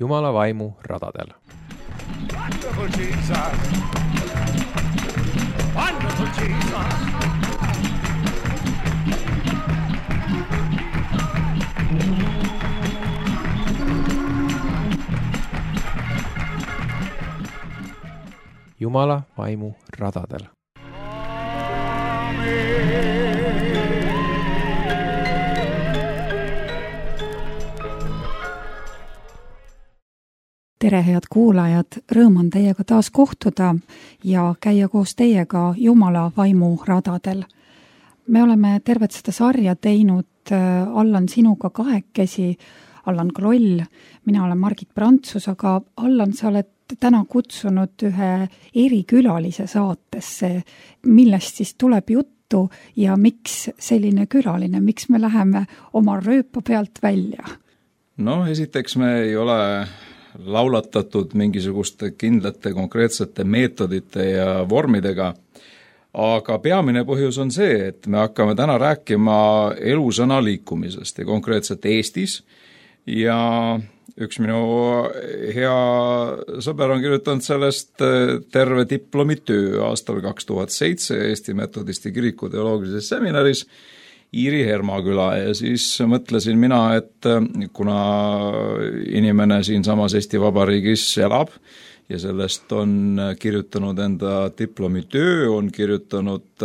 Jumala vaimu radadel. Wonderful Jesus! Wonderful Jesus! Jumala vaimu radadel. Tere, head kuulajad, rõõm on teiega taas kohtuda ja käia koos teiega Jumala vaimu radadel. Me oleme tervet seda sarja teinud Allan sinuga kahekesi, Allan Kroll, mina olen Margit Prantsus, aga Allan, sa oled täna kutsunud ühe erikülalise saatesse, millest siis tuleb juttu ja miks selline külaline, miks me läheme oma rööpa pealt välja? No, esiteks me ei ole laulatatud mingisuguste kindlate konkreetsete meetodite ja vormidega, aga peamine põhjus on see, et me hakkame täna rääkima elusõna liikumisest ja konkreetselt Eestis ja üks minu hea sõber on kirjutanud sellest terve diplomitöö aastal 2007 Eesti Metodisti kiriku teoloogilises seminaris Iiri Hermaküla ja siis mõtlesin mina, et kuna inimene siinsamas Eesti Vabariigis elab ja sellest on kirjutanud enda diplomitöö, on kirjutanud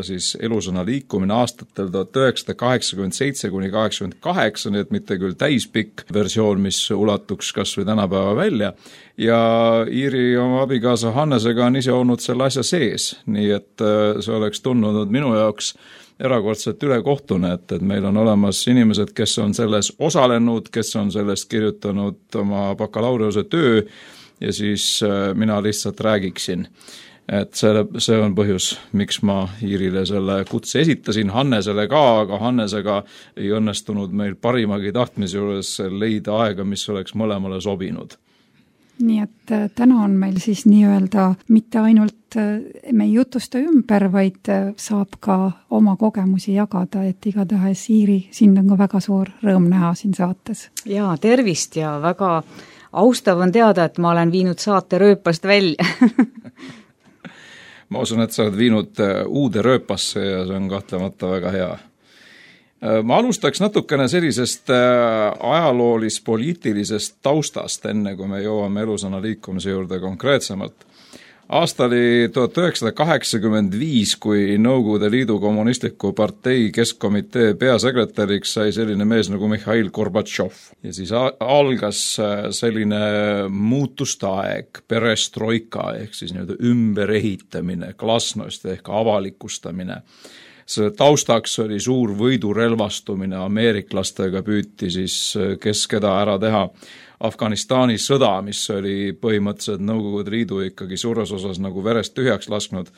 siis elusõna liikumine aastatel 1987–88, nii et mitte küll täispikk versioon, mis ulatuks kas või tänapäeva välja. Ja Iiri oma abikaasa Hannesega on ise olnud selle asja sees, nii et see oleks tundunud minu jaoks erakordselt ülekohtune, et meil on olemas inimesed, kes on selles osalenud, kes on sellest kirjutanud oma bakalaureuse töö ja siis mina lihtsalt räägiksin. Et see on põhjus, miks ma Iirile selle kutse esitasin, Hannesele ka, aga Hannesega ei õnnestunud meil parimagi tahtmise juures leida aega, mis oleks mõlemale sobinud. Nii et täna on meil siis nii-öelda mitte ainult me ei jutusta ümber, vaid saab ka oma kogemusi jagada, et igatahes Iiri, sind on ka väga suur rõõm näha siin saates. Jaa, tervist ja väga austav on teada, et ma olen viinud saate rööpast välja. Ma usun, et sa oled viinud uude rööpasse ja see on kahtlemata väga hea. Ma alustaks natukene sellisest ajaloolis-poliitilisest taustast, enne kui me jõuame elusõna liikumise juurde konkreetsemalt. Aasta oli 1985, kui Nõukogude Liidu kommunistliku partei keskkomitee peasekretäriks sai selline mees nagu Mihhail Gorbatšov. Ja siis algas selline muutuste aeg, perestroika ehk siis nii-öelda ümberehitamine, glasnost ehk avalikustamine. See taustaks oli suur võidurelvastumine, ameeriklastega püüti siis kes keda ära teha. Afganistani sõda, mis oli põhimõtteliselt Nõukogude Liidu ikkagi suures osas nagu verest tühjaks lasknud,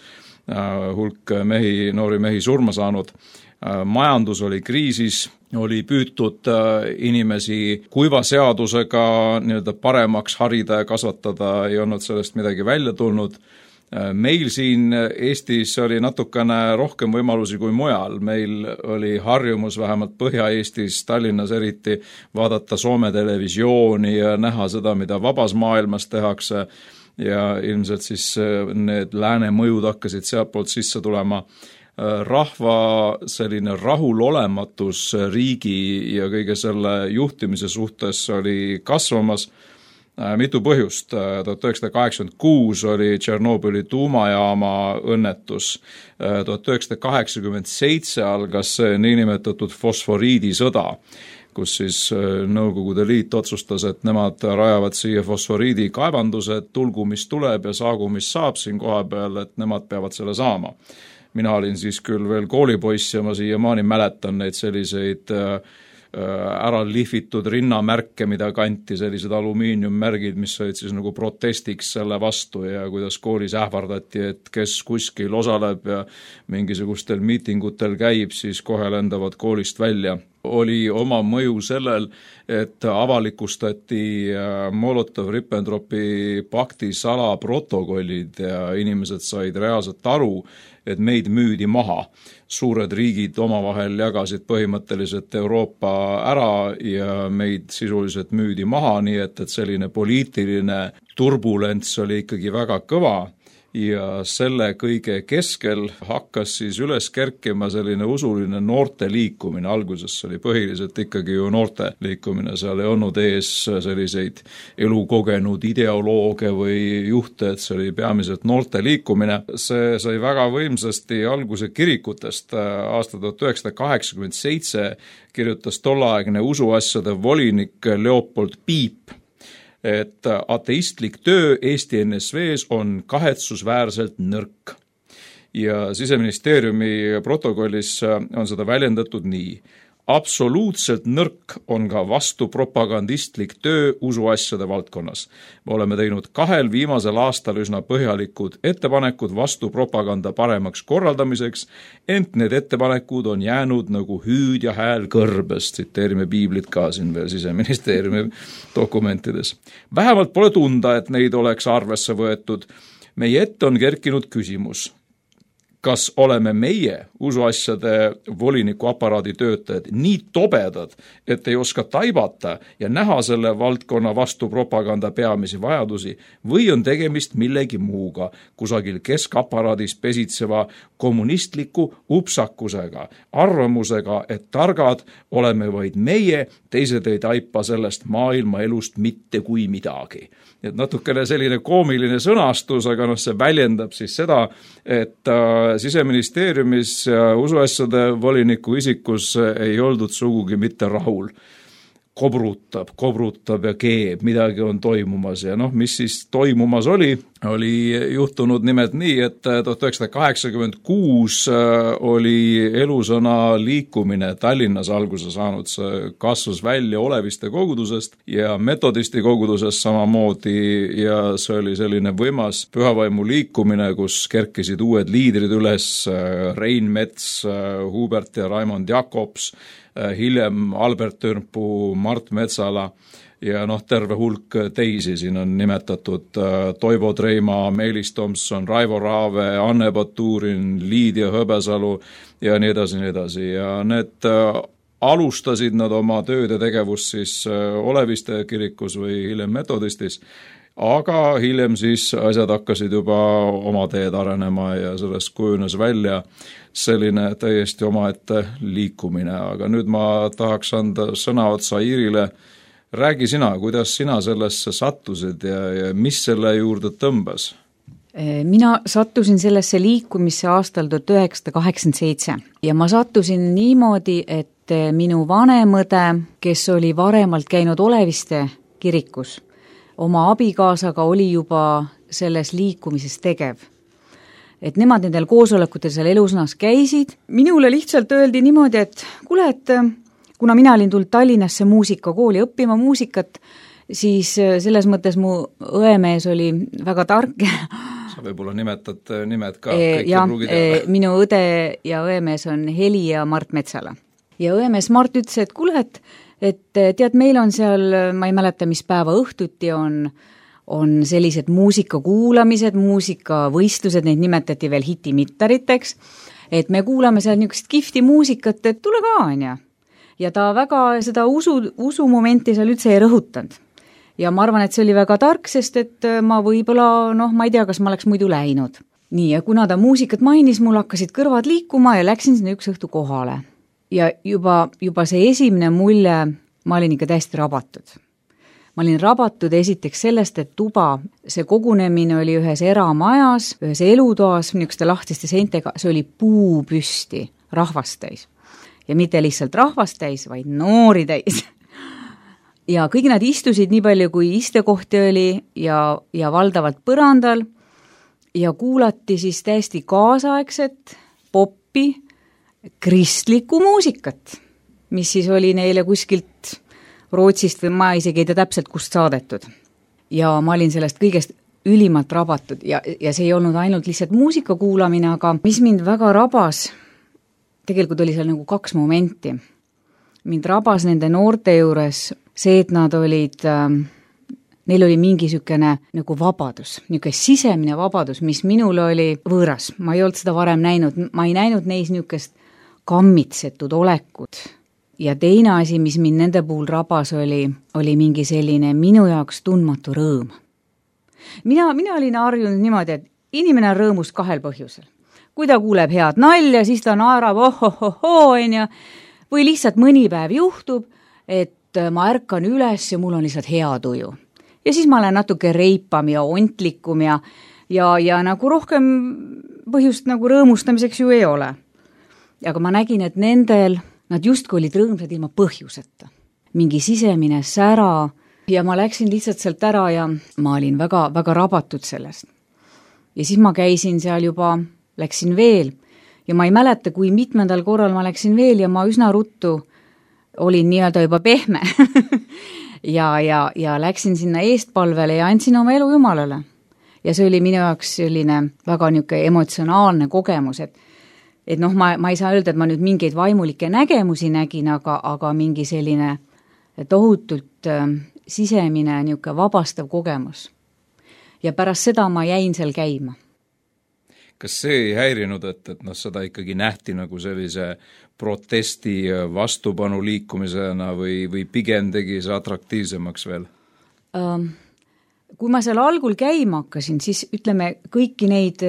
hulk noori mehi surma saanud. Majandus oli kriisis, oli püütud inimesi kuiva seadusega nii-öelda paremaks harida ja kasvatada, ei olnud sellest midagi välja tulnud. Meil siin Eestis oli natukene rohkem võimalusi kui mujal. Meil oli harjumus vähemalt Põhja-Eestis, Tallinnas eriti, vaadata Soome televisiooni ja näha seda, mida vabas maailmas tehakse ja ilmselt siis need lääne mõjud hakkasid sealtpoolt sisse tulema. Rahva selline rahulolematus riigi ja kõige selle juhtimise suhtes oli kasvamas. Mitu põhjust. 1986 oli Tšernobõli tuumajaama õnnetus. 1987 algas niinimetatud fosforiidisõda, kus siis Nõukogude Liit otsustas, et nemad rajavad siia fosforiidikaevandused, tulgu mis tuleb ja saagu mis saab siin koha peal, et nemad peavad selle saama. Mina olin siis küll veel koolipoiss ja ma siiamaani mäletan neid selliseid ära lihvitud rinnamärke, mida kanti, sellised alumiiniummärgid, mis olid siis nagu protestiks selle vastu ja kuidas koolis ähvardati, et kes kuskil osaleb ja mingisugustel miitingutel käib, siis kohe lendavad koolist välja. Oli oma mõju sellel, et avalikustati Molotov-Ribbentropi pakti salaprotokollid ja inimesed said reaalselt aru, et meid müüdi maha. Suured riigid omavahel jagasid põhimõtteliselt Euroopa ära ja meid sisuliselt müüdi maha, nii et selline poliitiline turbulents oli ikkagi väga kõva. Ja selle kõige keskel hakkas siis üles kerkima selline usuline noorte liikumine. Alguses oli põhiliselt ikkagi ju noorte liikumine, seal ei olnud ees selliseid elukogenud ideolooge või juhte, et see oli peamiselt noorte liikumine. See sai väga võimsasti alguse kirikutest. Aasta 1987 kirjutas tolleaegne usuasjade volinik Leopold Piip, et ateistlik töö Eesti NSV-s on kahetsusväärselt nõrk. Ja Siseministeeriumi protokollis on seda väljendatud nii. Absoluutselt nõrk on ka vastupropagandistlik töö usuasjade valdkonnas. Me oleme teinud 2 viimasel aastal üsna põhjalikud ettepanekud vastupropaganda paremaks korraldamiseks, ent need ettepanekud on jäänud nagu hüüd ja hääl kõrbes. Tsiteerime piiblit ka siin veel Siseministeeriumi dokumentides. Vähemalt pole tunda, et neid oleks arvesse võetud. Meie ette on kerkinud küsimus. Kas oleme meie usuasjade voliniku aparaadi töötajad nii tobedad, et ei oska taibata ja näha selle valdkonna vastu propaganda peamisi vajadusi või on tegemist millegi muuga, kusagil keskaparaadis pesitseva kommunistliku upsakusega, arvamusega, et targad oleme vaid meie, teised ei taipa sellest maailma elust mitte kui midagi. Et natukene selline koomiline sõnastus, aga see väljendab siis seda, et Siseministeeriumis ja usuasjade voliniku isikus ei oldud sugugi mitte rahul. Kobrutab ja keeb, midagi on toimumas ja mis siis toimumas oli juhtunud nimelt nii, et 1986 oli elusõna liikumine Tallinnas alguse saanud, see kasvas välja Oleviste kogudusest ja metodisti kogudusest samamoodi ja see oli selline võimas pühavaimu liikumine, kus kerkisid uued liidrid üles, Rein Mets, Hubert ja Raimond Jakobs, hiljem Albert Törnpuu, Mart Metsala ja terve hulk teisi. Siin on nimetatud Toivo Treima, Meelis Tomson, Raivo Raave, Anne Baturin, Liidia Hõbesalu ja nii edasi. Ja need alustasid nad oma tööd ja tegevust siis Oleviste kirikus või hiljem metodistis, aga hiljem siis asjad hakkasid juba oma teed arenema ja sellest kujunes välja selline täiesti omaette liikumine. Aga nüüd ma tahaks anda sõna otsa Iirile. Räägi sina, kuidas sina sellesse sattusid ja mis selle juurde tõmbas? Mina sattusin sellesse liikumisse aastal 1987 ja ma sattusin niimoodi, et minu vanemõde, kes oli varemalt käinud Oleviste kirikus, oma abikaasaga oli juba selles liikumises tegev. Et nemad nendel koosolekutel seal elusõnas käisid. Minule lihtsalt öeldi niimoodi, et kuule, et kuna mina olin tulnud Tallinnasse muusikakooli õppima muusikat, siis selles mõttes mu õemees oli väga tark. Sa võib-olla nimetad nimed ka. Minu õde ja õemees on Heli ja Mart Metsala. Ja õemees Mart ütles, et kuule, et tead, meil on seal, ma ei mäleta, mis päeva õhtuti on sellised muusikakuulamised, muusikavõistlused, neid nimetati veel hitimittariteks, et me kuulame seal niisugust kihvti muusikat, et tule ka, on. Ja ta väga seda usumomenti seal üldse ei rõhutanud. Ja ma arvan, et see oli väga tark, sest et ma võib-olla, ma ei tea, kas ma oleks muidu läinud. Nii, ja kuna ta muusikat mainis, mul hakkasid kõrvad liikuma ja läksin sinna üks õhtu kohale. Ja juba see esimene mulje, ma olin ikka täiesti rabatud. Ma olin rabatud esiteks sellest, et tuba, see kogunemine oli ühes eramajas, ühes elutoas, niisuguste lahtiste seintega, see oli puupüsti, rahvastäis. Ja mitte lihtsalt rahvastäis, vaid noori täis. Ja kõik nad istusid nii palju, kui istekohti oli ja valdavalt põrandal ja kuulati siis täiesti kaasaegset poppi, kristlikku muusikat, mis siis oli neile kuskilt Rootsist või ma isegi ei tea täpselt kust saadetud. Ja ma olin sellest kõigest ülimalt rabatud ja see ei olnud ainult lihtsalt muusika kuulamine, aga mis mind väga rabas, tegelikult oli seal nagu 2 momenti. Mind rabas nende noorte juures see, et nad olid neil oli mingi sükene nagu vabadus, niisugune sisemine vabadus, mis minul oli võõras. Ma ei olnud seda varem näinud, ma ei näinud neis niisugust kammitsetud olekut. Ja teine asi, mis mind nende puhul rabas, oli mingi selline minu jaoks tundmatu rõõm. Mina olin harjunud niimoodi, et inimene on rõõmus 2 põhjusel. Kui ta kuuleb head nalja, siis ta naerab ohohoho, või lihtsalt mõni päev juhtub, et ma ärkan üles ja mul on lihtsalt hea tuju. Ja siis ma olen natuke reipam ja ontlikum ja nagu rohkem põhjust nagu rõõmustamiseks ju ei ole. Aga ma nägin, et nendel, nad justkui olid rõõmsad ilma põhjuseta. Mingi sisemine sära ja ma läksin lihtsalt sealt ära ja ma olin väga, väga rabatud sellest. Ja siis ma käisin seal juba, läksin veel ja ma ei mäleta, kui mitmendal korral ma läksin veel ja ma üsna ruttu olin nii-öelda juba pehme ja läksin sinna eestpalvele ja andsin oma elu Jumalale. Ja see oli minu jaoks selline väga niisugune emotsionaalne kogemus, et ma ei saa öelda, et ma nüüd mingeid vaimulikke nägemusi nägin, aga mingi selline tohutult sisemine niisugune vabastav kogemus. Ja pärast seda ma jäin seal käima. Kas see ei häirinud, et seda ikkagi nähti nagu sellise protesti vastupanu liikumisena või pigem tegi see atraktiivsemaks veel? Kui ma seal algul käima hakkasin, siis ütleme kõiki neid,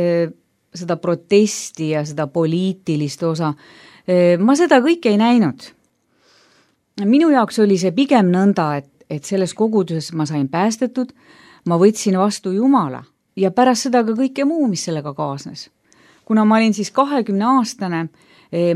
seda protesti ja seda poliitilist osa, ma seda kõike ei näinud. Minu jaoks oli see pigem nõnda, et selles koguduses ma sain päästetud, ma võtsin vastu Jumala ja pärast seda ka kõike muu, mis sellega kaasnes. Kuna ma olin siis 20-aastane,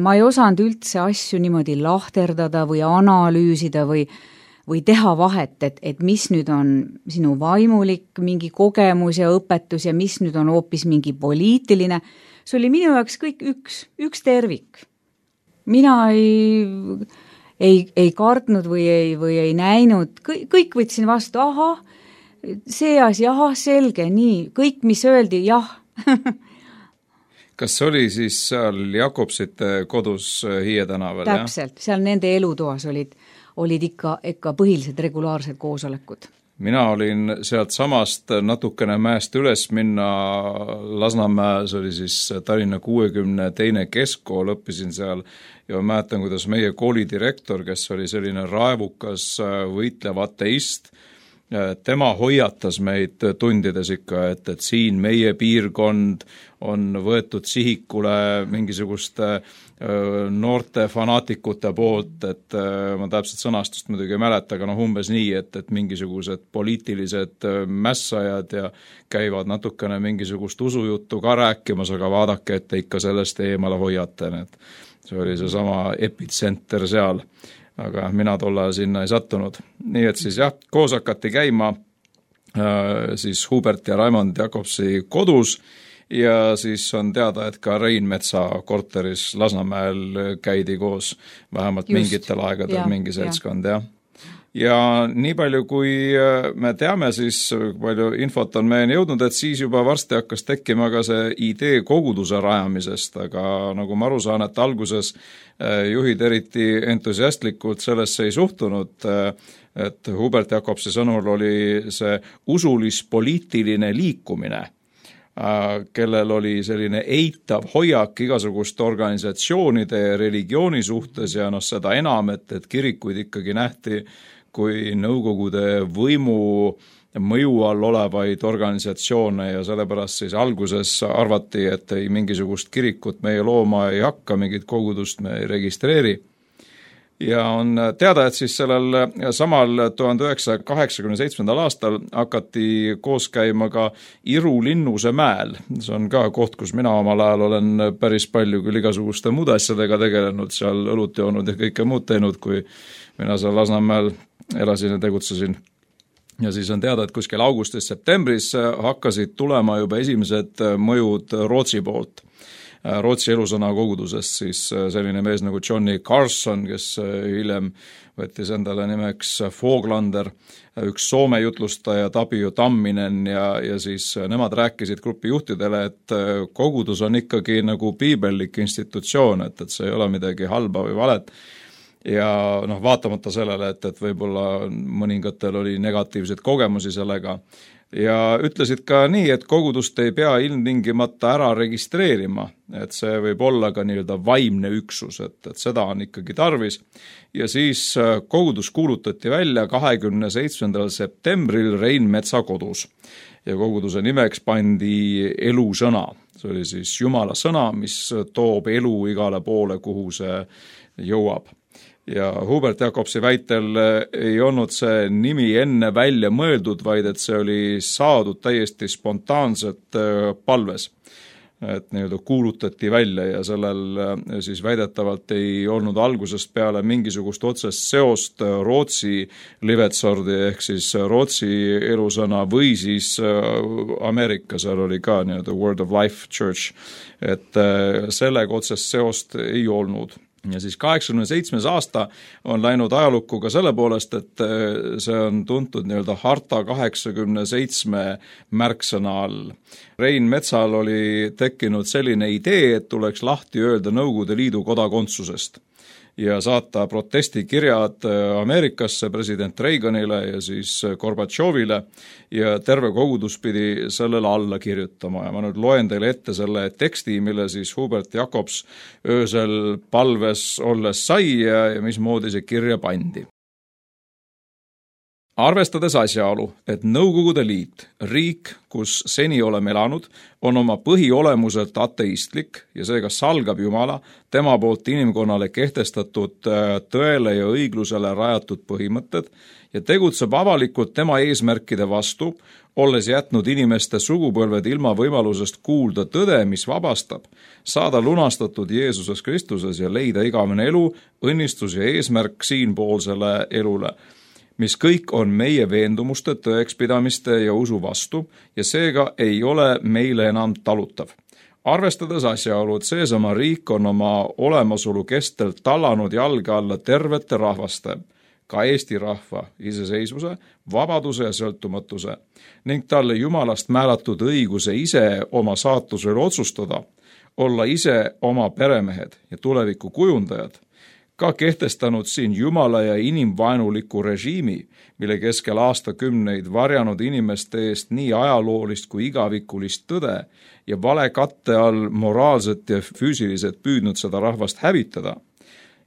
ma ei osanud üldse asju niimoodi lahterdada või analüüsida või teha vahet, et mis nüüd on sinu vaimulik mingi kogemus ja õpetus ja mis nüüd on hoopis mingi poliitiline. See oli minu jaoks kõik üks tervik. Mina ei kartnud või ei näinud, kõik võtsin vastu, see asi, selge, nii, kõik, mis öeldi, jah. Kas oli siis seal Jakobsite kodus Hiie tänaval? Täpselt, seal nende elutoas olid ikka põhilised regulaarsed koosolekud. Mina olin sealt samast natukene mäest üles minna Lasnamäe, see oli siis Tallinna 62. keskkool, õppisin seal ja mäletan, kuidas meie koolidirektor, kes oli selline raevukas võitlev ateist, tema hoiatas meid tundides ikka, et siin meie piirkond on võetud sihikule mingisuguste noorte fanaatikute poolt, et ma täpselt sõnastust muidugi ei mäleta, aga umbes nii, et mingisugused poliitilised mässajad ja käivad natukene mingisugust usujuttu ka rääkimas, aga vaadake, et te ikka sellest eemale hoiate. See oli see sama epitsenter seal, aga mina tolle sinna ei sattunud. Nii et siis jah, koos hakati käima siis Hubert ja Raimond Jakobsi kodus ja siis on teada, et ka Reinmetsa korteris Lasnamäel käidi koos vähemalt mingitel aegadel mingi seltskond, jah. Ja nii palju, kui me teame, siis palju infot on meieni jõudnud, et siis juba varsti hakkas tekkima ka see idee koguduse rajamisest, aga nagu ma aru saan, et alguses juhid eriti entusiastlikult sellesse ei suhtunud, et Hubert Jakobsi sõnul oli see usulis-poliitiline liikumine, kellel oli selline eitav hoiak igasuguste organisatsioonide ja religiooni suhtes ja seda enam, et kirikuid ikkagi nähti kui Nõukogude võimu mõju all olevaid organisatsioone ja sellepärast siis alguses arvati, et ei mingisugust kirikut meie looma ei hakka, mingit kogudust me ei registreeri. Ja on teada, et siis sellel samal 1987. aastal hakati koos käima ka Iru Linnuse mäel. See on ka koht, kus mina omal ajal olen päris palju küll igasuguste muude asjadega tegelenud, seal õlut joonud ja kõike muud teinud, kui mina seal Lasnamäel elasin ja tegutsesin. Ja siis on teada, et kuskil augustis-septembris hakkasid tulema juba esimesed mõjud Rootsi poolt. Rootsi elusõna kogudusest siis selline mees nagu Johnny Carson, kes hiljem võttis endale nimeks Foglander, üks Soome jutlustaja Tapio Tamminen ja siis nemad rääkisid grupi juhtidele, et kogudus on ikkagi nagu piibellik institutsioon, et see ei ole midagi halba või valet. ja vaatamata sellele, et võib-olla mõningatel oli negatiivseid kogemusi sellega, ja ütlesid ka nii, et kogudust ei pea ilmtingimata ära registreerima, et see võib olla ka nii-öelda vaimne üksus, et seda on ikkagi tarvis. Ja siis kogudus kuulutati välja 27. septembril Rein Metsa kodus ja koguduse nimeks pandi elusõna. See oli siis Jumala sõna, mis toob elu igale poole, kuhu see jõuab. Ja Hubert Jacobsi väitel ei olnud see nimi enne välja mõeldud, vaid et see oli saadud täiesti spontaanselt palves. Et nii-öelda kuulutati välja ja sellel siis väidetavalt ei olnud algusest peale mingisugust otsest seost Rootsi Livetsordi ehk siis Rootsi elusõna või siis Ameerika, seal oli ka nii-öelda Word of Life Church, et sellega otsest seost ei olnud. Ja siis 87. aasta on läinud ajalukku ka selle poolest, et see on tuntud nii-öelda Harta 87 märksõna all. Rein Metsal oli tekkinud selline idee, et tuleks lahti öelda Nõukogude Liidu kodakondsusest ja saata protestikirjad Ameerikasse president Reaganile ja siis Gorbatšovile ja terve kogudus pidi sellele alla kirjutama. Ja ma nüüd loen teile ette selle teksti, mille siis Hubert Jacobs öösel palves olles sai ja mismoodi see kirja pandi. Arvestades asjaolu, et Nõukogude Liit, riik, kus seni oleme elanud, on oma põhiolemuselt ateistlik ja seega salgab Jumala, tema poolt inimkonnale kehtestatud tõele ja õiglusele rajatud põhimõtted ja tegutseb avalikult tema eesmärkide vastu, olles jätnud inimeste sugupõlved ilma võimalusest kuulda tõde, mis vabastab, saada lunastatud Jeesuses Kristuses ja leida igavene elu, õnnistus ja eesmärk siinpoolsele elule, mis kõik on meie veendumuste, tõekspidamiste ja usu vastu ja seega ei ole meile enam talutav. Arvestades asjaolu, et seesama riik on oma olemasolu kestel tallanud jalge alla tervete rahvaste, ka Eesti rahva iseseisvuse, vabaduse ja sõltumatuse ning talle Jumalast määratud õiguse ise oma saatusel otsustada, olla ise oma peremehed ja tuleviku kujundajad, ka kehtestanud siin Jumala ja inimvaenuliku režiimi, mille keskel aastakümneid varjanud inimeste eest nii ajaloolist kui igavikulist tõde ja vale katte all moraalselt ja füüsiliselt püüdnud seda rahvast hävitada,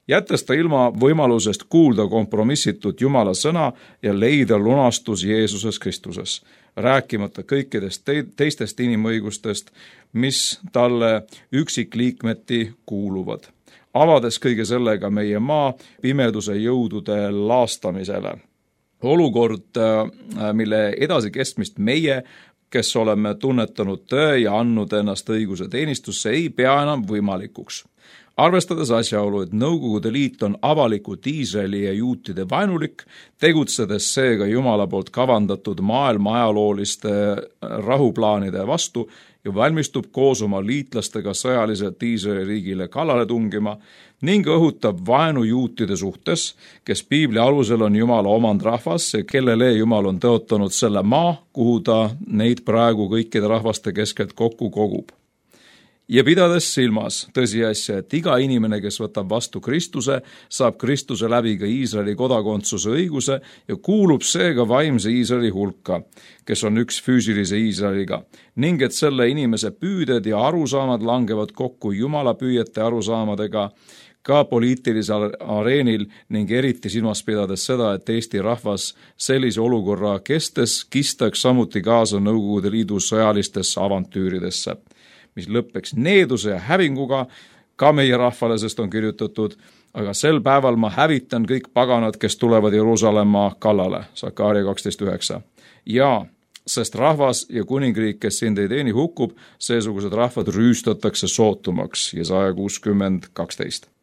jättes ta ilma võimalusest kuulda kompromissitut Jumala sõna ja leida lunastus Jeesuses Kristuses, rääkimata kõikidest teistest inimõigustest, mis talle üksikliikmeti kuuluvad, avades kõige sellega meie maa pimeduse jõudude laastamisele. Olukord, mille edasikestmist meie, kes oleme tunnetanud tõe ja andnud ennast õiguse teenistusse, ei pea enam võimalikuks. Arvestades asjaolu, et Nõukogude Liit on avalikult Iisraeli ja juutide vaenulik, tegutsedes seega Jumala poolt kavandatud maailma ajalooliste rahuplaanide vastu ja valmistub koos oma liitlastega sõjaliselt Iisraeli riigile kallale tungima ning õhutab vaenu juutide suhtes, kes piibli alusel on Jumala omand rahvas ja kellele Jumal on tõotanud selle maa, kuhu ta neid praegu kõikide rahvaste keskelt kokku kogub. Ja pidades silmas tõsiasja, et iga inimene, kes võtab vastu Kristuse, saab Kristuse läbi ka Iisraeli kodakondsuse õiguse ja kuulub seega vaimse Iisraeli hulka, kes on üks füüsilise Iisraeliga, ning et selle inimese püüded ja arusaamad langevad kokku Jumala püüete arusaamadega ka poliitilisel areenil ning eriti silmas pidades seda, et Eesti rahvas sellise olukorra kestes kistaks samuti kaasa Nõukogude Liidu sõjalistesse avantüüridesse, mis lõppeks needuse ja hävinguga ka meie rahvale, sest on kirjutatud, aga sel päeval ma hävitan kõik paganad, kes tulevad Jeruusalemma kallale, Sakaaria 12.9. Ja sest rahvas ja kuningriik, kes sind ei teeni, hukkub, seesugused rahvad rüüstatakse sootumaks, Jesaja 60.12.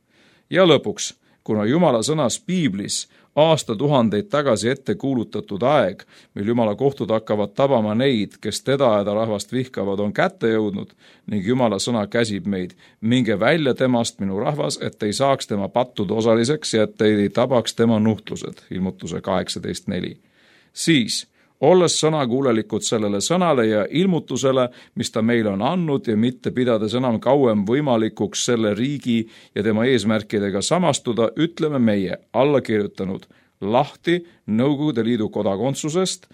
Ja lõpuks, kuna Jumala sõnas piiblis aastatuhandeid tagasi ette kuulutatud aeg, mil Jumala kohtud hakkavad tabama neid, kes teda ja ta rahvast vihkavad, on kätte jõudnud ning Jumala sõna käsib meid. Minge välja temast, minu rahvas, et ei saaks tema pattude osaliseks ja et ei tabaks tema nuhtlused, ilmutuse 18.4. Siis olles sõnakuulelikud sellele sõnale ja ilmutusele, mis ta meile on andnud ja mitte pidades enam kauem võimalikuks selle riigi ja tema eesmärkidega samastuda, ütleme meie allakirjutanud lahti Nõukogude Liidu kodakondsusest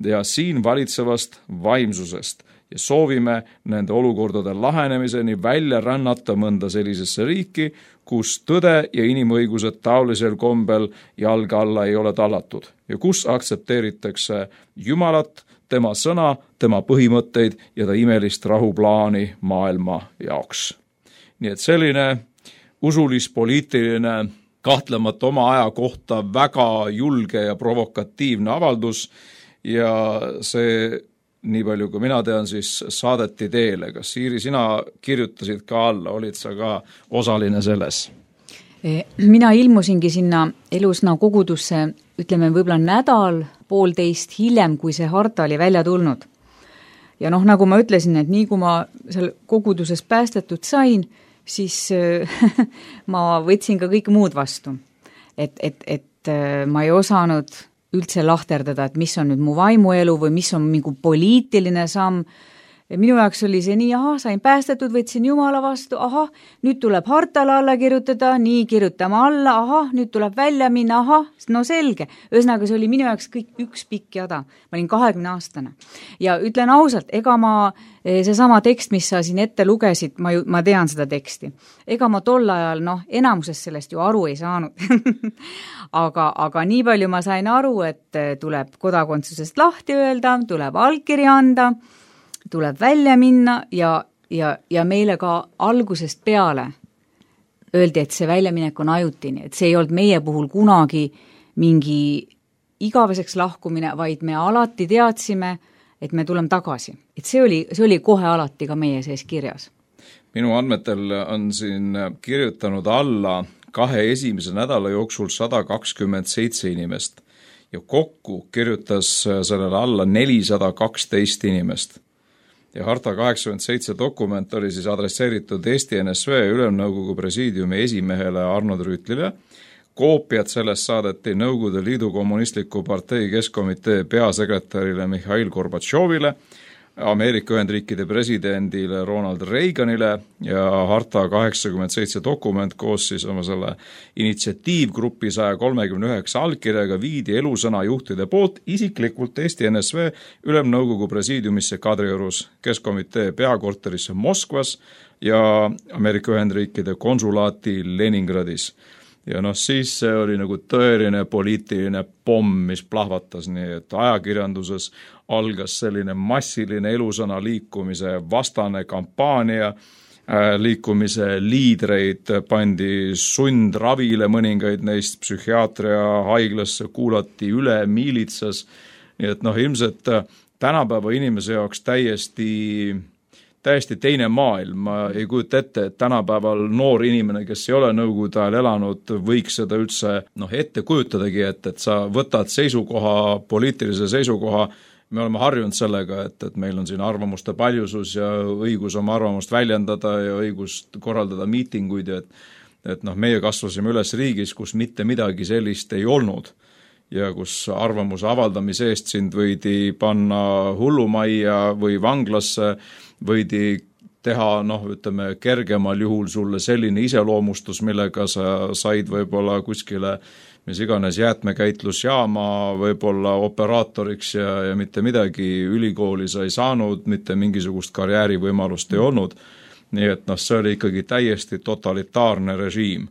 ja siin valitsevast vaimsusest ja soovime nende olukordade lahenemiseni välja rännata mõnda sellisesse riiki, kus tõde ja inimõigused taolisel kombel jalga alla ei ole tallatud ja kus aktsepteeritakse Jumalat, tema sõna, tema põhimõtteid ja ta imelist rahuplaani maailma jaoks. Nii et selline usulis-poliitiline, kahtlemata oma aja kohta väga julge ja provokatiivne avaldus ja see nii palju kui mina tean, siis saadeti teele. Kas Siiri, sina kirjutasid ka alla, olid sa ka osaline selles? Mina ilmusingi sinna Elusna kogudusse, ütleme võib-olla nädal, poolteist hiljem, kui see harta oli välja tulnud. Ja nagu ma ütlesin, et nii kui ma seal koguduses päästetud sain, siis ma võtsin ka kõik muud vastu. Et ma ei osanud üldse lahterdada, et mis on nüüd mu vaimuelu või mis on mingi poliitiline samm. Minu jaoks oli see nii, sain päästetud, võtsin Jumala vastu, nüüd tuleb hartale alla kirjutada, nii kirjutame alla, nüüd tuleb välja minna, no selge. Ühesõnaga, see oli minu jaoks kõik üks pikk jada. Ma olin 20-aastane. Ja ütlen ausalt, ega ma seesama tekst, mis sa siin ette lugesid, ma tean seda teksti. Ega ma tol ajal, enamusest sellest ju aru ei saanud. aga nii palju ma sain aru, et tuleb kodakondsusest lahti öelda, tuleb allkiri anda, tuleb välja minna ja meile ka algusest peale öeldi, et see väljaminek on ajutine, et see ei olnud meie puhul kunagi mingi igaveseks lahkumine, vaid me alati teadsime, et me tuleme tagasi. Et see oli kohe alati ka meie sees kirjas. Minu andmetel on siin kirjutanud alla 2 esimese nädala jooksul 127 inimest ja kokku kirjutas sellele alla 412 inimest. Ja harta 87 dokument oli siis adresseeritud Eesti NSV Ülemnõukogu presiidiumi esimehele Arnold Rüütlile. Koopiad sellest saadeti Nõukogude Liidu Kommunistliku partei keskkomitee peasekretärile Mihhail Gorbatšovile, Ameerika Ühendriikide presidendile Ronald Reaganile ja harta 87 dokument koos siis oma selle initsiatiivgrupi 139 allkirjaga viidi Elusõna juhtide poolt isiklikult Eesti NSV Ülemnõukogu presiidiumisse Kadriorus, keskkomitee peakorterisse Moskvas ja Ameerika Ühendriikide konsulaati Leningradis. Ja siis see oli nagu tõeline poliitiline pomm, mis plahvatas nii, et ajakirjanduses algas selline massiline Elusõna liikumise vastane kampaania, liikumise liidreid pandi sundravile, mõningaid neist psühhiaatria haiglasse kuulati üle miilitsas, nii et ilmselt tänapäeva inimese jaoks täiesti teine maailm. Ma ei kujuta ette, et tänapäeval noor inimene, kes ei ole Nõukogude ajal elanud, võiks seda üldse ette kujutadagi, et sa võtad seisukoha, poliitilise seisukoha. Me oleme harjunud sellega, et meil on siin arvamuste paljusus ja õigus oma arvamust väljendada ja õigus korraldada miitinguid. Et meie kasvasime üles riigis, kus mitte midagi sellist ei olnud ja kus arvamuse avaldamise eest sind võidi panna hullumajja või vanglasse, võidi teha, ütleme, kergemal juhul sulle selline iseloomustus, millega sa said võib-olla kuskile, mis iganes jäätmekäitlusjaama võib-olla operaatoriks ja mitte midagi, ülikooli sa ei saanud, mitte mingisugust karjäärivõimalust ei olnud. Nii et see oli ikkagi täiesti totalitaarne režiim.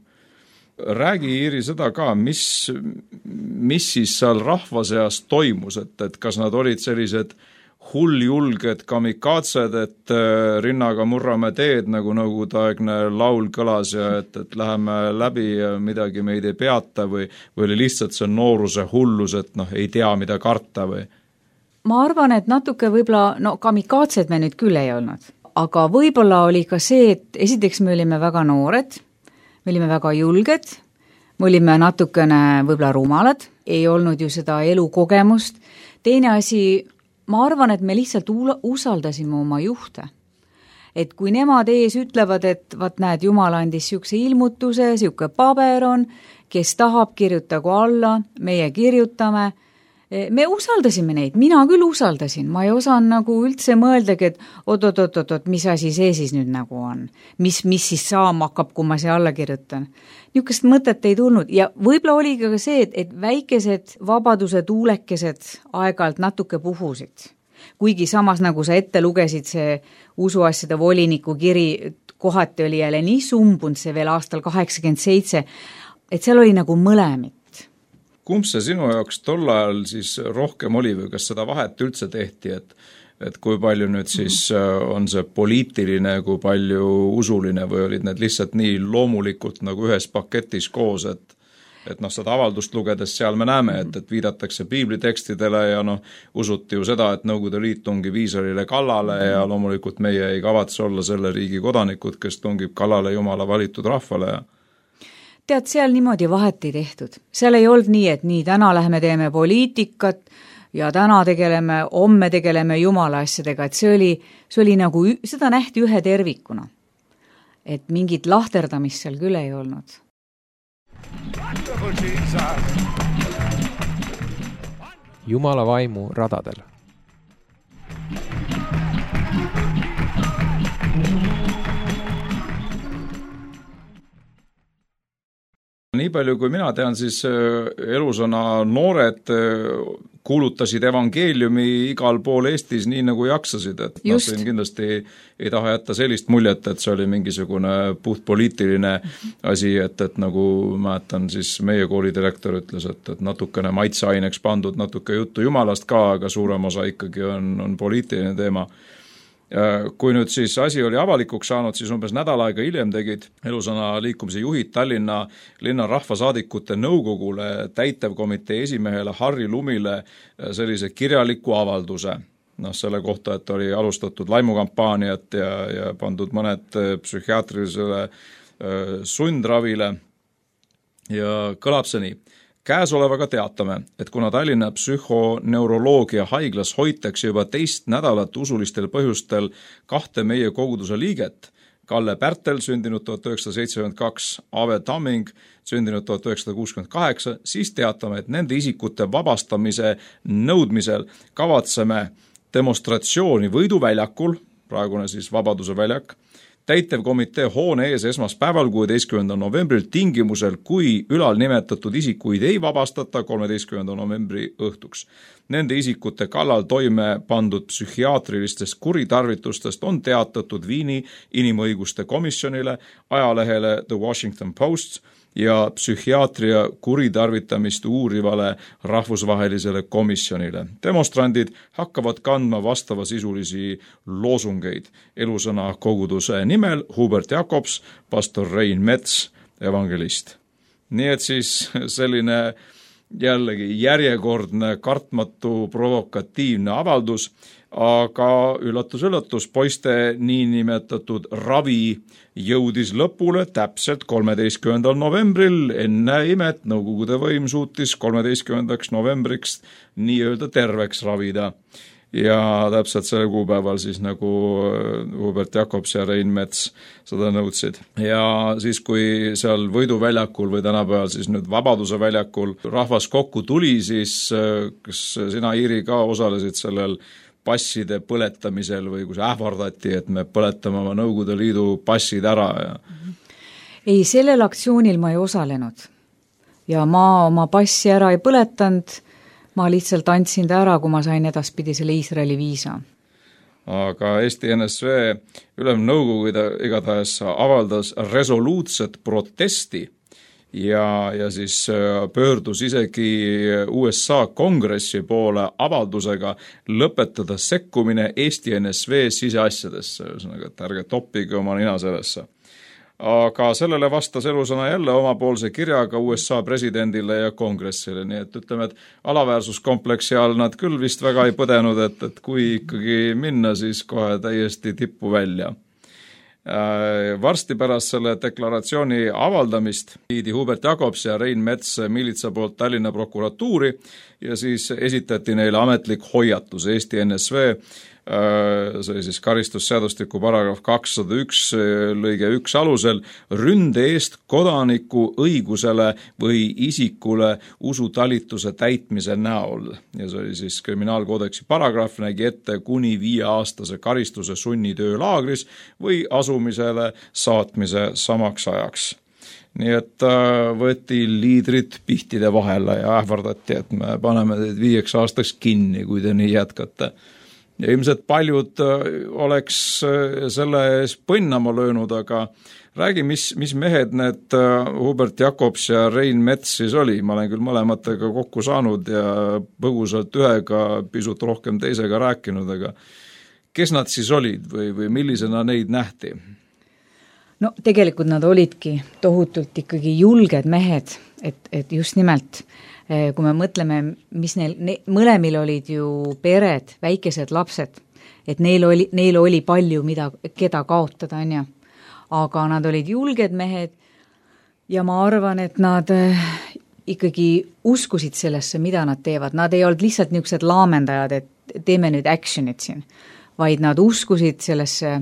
Räägi, Iiri, seda ka, mis siis seal rahva seas toimus, et kas nad olid sellised hulljulged kamikaatsed, et rinnaga murrame teed, nagu nõukogudeaegne laul kõlas ja et läheme läbi ja midagi meid ei peata või oli lihtsalt see nooruse hullus, et ei tea, mida karta või? Ma arvan, et natuke võib-olla, kamikaatsed me nüüd küll ei olnud, aga võib-olla oli ka see, et esiteks me olime väga noored, me olime väga julged, me olime natukene võib-olla rumalad, ei olnud ju seda elukogemust. Teine asi, ma arvan, et me lihtsalt usaldasime oma juhte. Et kui nemad ees ütlevad, et näed, Jumal andis siukse ilmutuse, siuke paber on, kes tahab, kirjutagu alla, meie kirjutame, me usaldasime neid, mina küll usaldasin, ma ei osanud nagu üldse mõeldagi, et oot, mis asi see siis nüüd nagu on, mis siis saama hakkab, kui ma see alla kirjutan. Niisugust mõtet ei tulnud ja võib-olla oli ka see, et väikesed vabaduse tuulekesed aeg-ajalt natuke puhusid. Kuigi samas, nagu sa ette lugesid, see usuasjade voliniku kiri kohati oli jälle nii sumbunud see veel aastal 87, et seal oli nagu mõlemid. Kumb see sinu jaoks tol ajal siis rohkem oli või kas seda vahet üldse tehti, et kui palju nüüd siis on see poliitiline, kui palju usuline või olid need lihtsalt nii loomulikult nagu ühes paketis koos, et seda avaldust lugedes seal me näeme, et viidatakse piiblitekstidele ja usuti ju seda, et Nõukogude Liit tungib Iisraelile kallale ja loomulikult meie ei kavatse olla selle riigi kodanikud, kes tungib kallale Jumala valitud rahvale ja tead, seal niimoodi vahet ei tehtud. Seal ei olnud nii, et nii, täna lähme teeme poliitikat ja täna homme tegeleme Jumala asjadega, et see oli nagu, seda nähti ühe tervikuna. Et mingit lahterdamist seal küll ei olnud. Jumala vaimu radadel. Nii palju kui mina tean, siis Elusõna noored kuulutasid evangeeliumi igal pool Eestis nii nagu jaksasid, et siin kindlasti ei taha jätta sellist muljet, et see oli mingisugune puhtpoliitiline asi, et nagu mäletan, siis meie koolidirektor ütles, et natukene maitseaineks pandud, natuke juttu Jumalast ka, aga suurem osa ikkagi on poliitiline teema. Kui nüüd siis asi oli avalikuks saanud, siis umbes nädal aega hiljem tegid Elusõna liikumise juhid Tallinna linna rahvasaadikute nõukogule täitevkomitee esimehele Harri Lumile sellise kirjaliku avalduse. Selle kohta, et oli alustatud laimukampaaniat ja pandud mõned psühhiaatrilisele sundravile ja kõlab see nii. Käesolevaga teatame, et kuna Tallinna psühhoneuroloogia haiglas hoitakse juba 2 nädalat usulistel põhjustel 2 meie koguduse liiget, Kalle Pärtel, sündinud 1972, Ave Tamming, sündinud 1968, siis teatame, et nende isikute vabastamise nõudmisel kavatseme demonstratsiooni Võiduväljakul, praegune siis Vabaduse väljak, täitevkomitee hoone ees esmaspäeval 16. novembril tingimusel, kui ülal nimetatud isikuid ei vabastata 13. novembri õhtuks. Nende isikute kallal toime pandud psühhiaatrilistest kuritarvitustest on teatatud Viini inimõiguste komisjonile, ajalehele The Washington Post ja psühhiaatria kuritarvitamist uurivale rahvusvahelisele komisjonile. Demonstrandid hakkavad kandma vastavasisulisi loosungeid. Elusõna koguduse nimel Hubert Jakobs, pastor Rein Mets, evangelist. Nii et siis selline jällegi järjekordne kartmatu provokatiivne avaldus, aga üllatus, poiste niinimetatud ravi jõudis lõpule täpselt 13. novembril, enne imet Nõukogude võim suutis 13. novembriks nii-öelda terveks ravida. Ja täpselt selle kuupäeval siis nagu Hubert Jakobs ja Rein Mets seda nõudsid. Ja siis, kui seal Võiduväljakul või tänapäeval siis nüüd Vabaduse väljakul rahvas kokku tuli, siis kas sina, Iiri, ka osalesid sellel passide põletamisel või kus ähvardati, et me põletame oma Nõukogude Liidu passid ära? Ei, sellel aktsioonil ma ei osalenud ja ma oma passi ära ei põletanud, ma lihtsalt andsin ta ära, kui ma sain edaspidi selle Iisraeli viisa. Aga Eesti NSV ülemnõukogu igatahes avaldas resoluutset protesti ja siis pöördus isegi USA kongressi poole avaldusega lõpetada sekkumine Eesti NSV siseasjadesse, ühesõnaga, et ärge toppige oma nina sellesse. Aga sellele vastas Elusõna jälle omapoolse kirjaga USA presidendile ja kongressile, nii et ütleme, et alaväärsuskompleksi all nad küll vist väga ei põdenud, et kui ikkagi minna, siis kohe täiesti tippu välja. Varsti pärast selle deklaratsiooni avaldamist viidi Hubert Jakobs ja Rein Mets miilitsa poolt Tallinna prokuratuuri ja siis esitati neile ametlik hoiatus. Eesti NSV see oli siis karistusseadustiku paragrahv 201 lõige 1 alusel, ründe eest kodaniku õigusele või isikule usutalituse täitmise näol. Ja see oli siis kriminaalkoodeksi paragrahv, nägi ette kuni 5-aastase karistuse sunnitöölaagris või asumisele saatmise samaks ajaks. Nii et võeti liidrid pihtide vahele ja ähvardati, et me paneme teid 5 aastaks kinni, kui te nii jätkate. Ja ilmselt paljud oleks selle ees põnnama löönud, aga räägi, mis mehed need Hubert Jakobs ja Rein Mets siis oli. Ma olen küll mõlematega kokku saanud ja põgusalt ühega, pisut rohkem teisega rääkinud, aga kes nad siis olid või millisena neid nähti? No tegelikult nad olidki tohutult ikkagi julged mehed, et just nimelt, kui me mõtleme, mis mõlemil olid ju pered, väikesed lapsed, et neil oli palju, keda kaotada, on ju. Aga nad olid julged mehed ja ma arvan, et nad ikkagi uskusid sellesse, mida nad teevad. Nad ei olnud lihtsalt niisugused laamendajad, et teeme nüüd actionit siin, vaid nad uskusid sellesse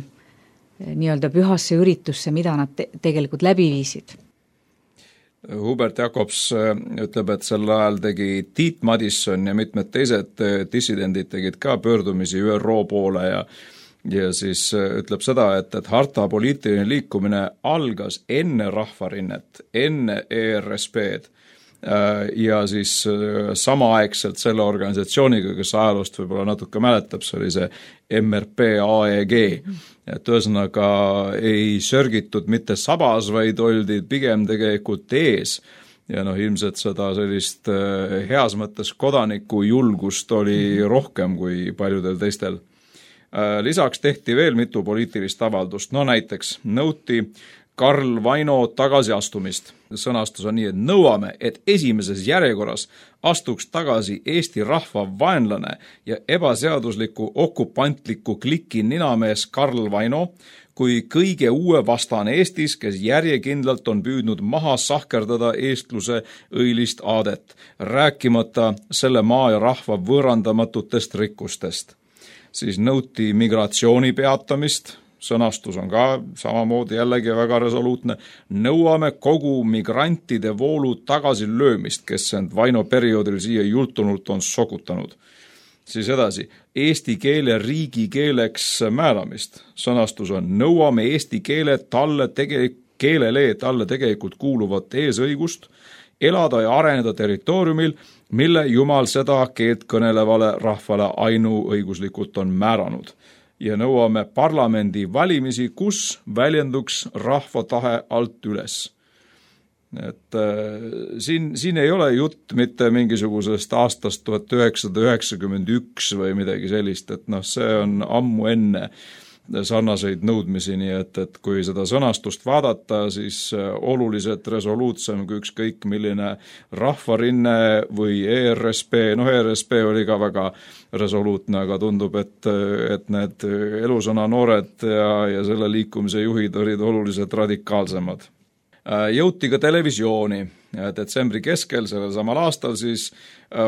nii-öelda pühasse üritusse, mida nad tegelikult läbi viisid. Hubert Jakobs ütleb, et sel ajal tegi Tiit Madisson ja mitmed teised dissidendid tegid ka pöördumisi ÜRO poole ja siis ütleb seda, et harta poliitiline liikumine algas enne rahvarinnet, enne ERSP-d ja siis samaaegselt selle organisatsiooniga, kes ajaloost võib-olla natuke mäletab, see oli see MRP AEG, et ühesõnaga ei sörgitud mitte sabas, vaid oldi pigem tegelikult ees ja ilmselt seda sellist heas mõttes kodaniku julgust oli rohkem kui paljudel teistel. Lisaks tehti veel mitu poliitilist avaldust, näiteks nõuti Karl Vaino tagasiastumist. Sõnastus on nii, et nõuame, et esimeses järjekorras astuks tagasi Eesti rahva vaenlane ja ebaseadusliku okupantliku kliki ninamees Karl Vaino kui kõige uue vastane Eestis, kes järjekindlalt on püüdnud maha sahkerdada eestluse õilist aadet, rääkimata selle maa ja rahva võõrandamatutest rikkustest. Siis nõuti migratsiooni peatamist, sõnastus on ka samamoodi jällegi väga resoluutne, nõuame kogu migrantide voolu tagasilöömist, kes end Vaino perioodil siia jultunult on sokutanud. Siis edasi, eesti keele riigikeeleks määramist. Sõnastus on, nõuame eesti keelele talle tegelikult kuuluvat eesõigust, elada ja areneda territooriumil, mille Jumal seda keelt kõnelevale rahvale ainuõiguslikult on määranud. Ja nõuame parlamendi valimisi, kus väljenduks rahva tahe alt üles. Et siin ei ole jutt mitte mingisugusest aastast 1991 või midagi sellist, et see on ammu enne sarnaseid nõudmisi, nii et kui seda sõnastust vaadata, siis oluliselt resoluutsem kui ükskõik milline rahvarinne või ERSP, ERSP oli ka väga resoluutne, aga tundub, et need elusõna noored ja selle liikumise juhid olid oluliselt radikaalsemad. Jõuti ka televisiooni. Detsembri keskel sellel samal aastal siis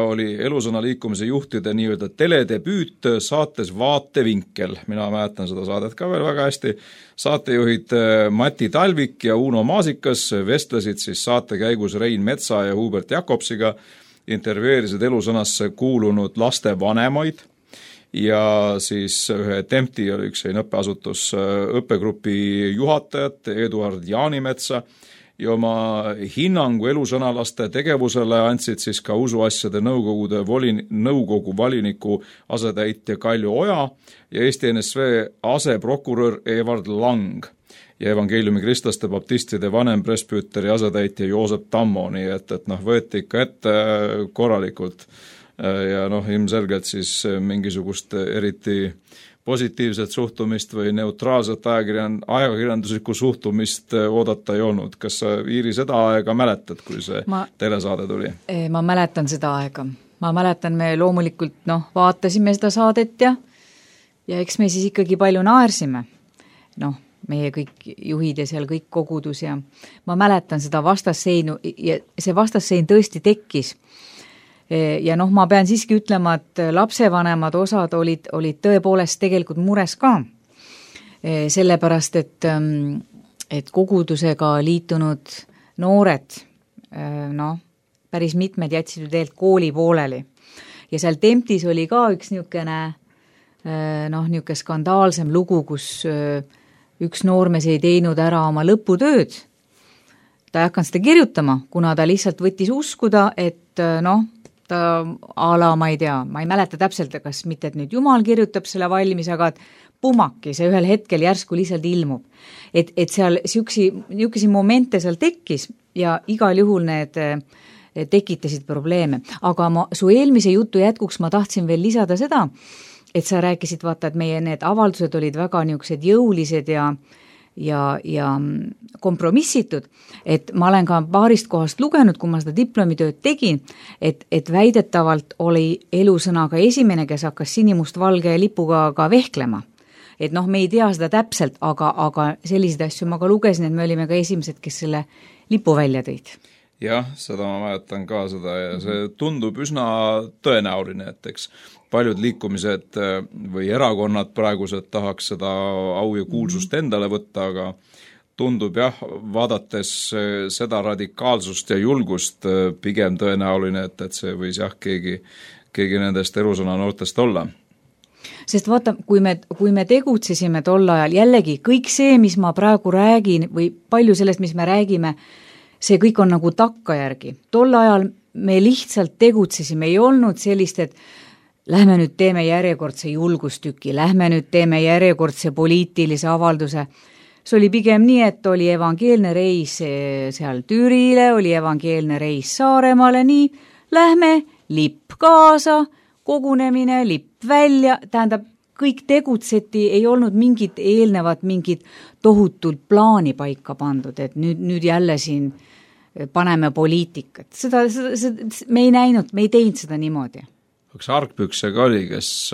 oli elusõna liikumise juhtide nii-öelda teledebüüt saates Vaatevinkel. Mina mäletan seda saadet ka veel väga hästi. Saatejuhid Mati Talvik ja Uno Maasikas vestlesid siis saate käigus Rein Metsa ja Hubert Jakobsiga, intervjueerisid elusõnasse kuulunud laste vanemaid ja siis ühe Tempti oli üks õppeasutus õppegrupi juhatajat Eduard Jaanimetsa ja oma hinnangu elusõnalaste tegevusele andsid siis ka usuasjade nõukogu valiniku asetäitja Kalju Oja ja Eesti NSV aseprokurör Evard Lang ja evangeeliumi kristlaste baptistide vanem presbüüteri asetäitja Joosep Tammo, nii et võeti ikka ette korralikult ja ilmselgelt siis mingisugust eriti positiivset suhtumist või neutraalset ajakirjanduslikku suhtumist oodata ei olnud. Kas sa, Iiri, seda aega mäletad, kui see telesaade tuli? Ma mäletan seda aega. Ma mäletan, me loomulikult vaatasime seda saadet ja eks me siis ikkagi palju naersime. Meie kõik juhid ja seal kõik kogudus ja ma mäletan seda vastasseinu ja see vastassein tõesti tekkis. Ja ma pean siiski ütlema, et lapsevanemad osad olid tõepoolest tegelikult mures ka. Sellepärast, et kogudusega liitunud noored, päris mitmed jätsid ju tegelikult kooli pooleli. Ja seal Temptis oli ka üks niisugune skandaalsem lugu, kus üks noormees ei teinud ära oma lõputööd. Ta ei hakanud seda kirjutama, kuna ta lihtsalt võttis uskuda, et ta ma ei tea, ma ei mäleta täpselt, kas mitte, et nüüd Jumal kirjutab selle valmis, aga et pumaki, see ühel hetkel järsku lihtsalt ilmub. Et seal niisuguseid momente seal tekkis ja igal juhul need tekitasid probleeme. Aga su eelmise jutu jätkuks ma tahtsin veel lisada seda, et sa rääkisid, vaata, et meie need avaldused olid väga niisugused jõulised ja kompromissitud, et ma olen ka paarist kohast lugenud, kui ma seda diplomitööd tegin, et väidetavalt oli Elusõna ka esimene, kes hakkas sinimustvalge lipuga ka vehklema. Et me ei tea seda täpselt, aga selliseid asju ma ka lugesin, et me olime ka esimesed, kes selle lipu välja tõid. Jah, seda ma mäletan ka seda ja see tundub üsna tõenäoline, et eks paljud liikumised või erakonnad praegused tahaks seda au ja kuulsust endale võtta, aga tundub jah, vaadates seda radikaalsust ja julgust pigem tõenäoline, et see võis jah keegi nendest Elusõna noortest olla. Sest vaata, kui me tegutsesime tol ajal, jällegi kõik see, mis ma praegu räägin või palju sellest, mis me räägime, see kõik on nagu takkajärgi. Tol ajal me lihtsalt tegutsesime, ei olnud sellist, et lähme nüüd teeme järjekordse julgustüki, lähme nüüd teeme järjekordse poliitilise avalduse. See oli pigem nii, et oli evangeelne reis seal Türile, oli evangeelne reis Saaremaale, nii, lähme, lipp kaasa, kogunemine, lipp välja, tähendab, kõik tegutseti, ei olnud mingit tohutult plaani paika pandud, et nüüd jälle siin paneme poliitikat. Seda me ei näinud, me ei teinud seda niimoodi. Kas Argpüksega oli, kes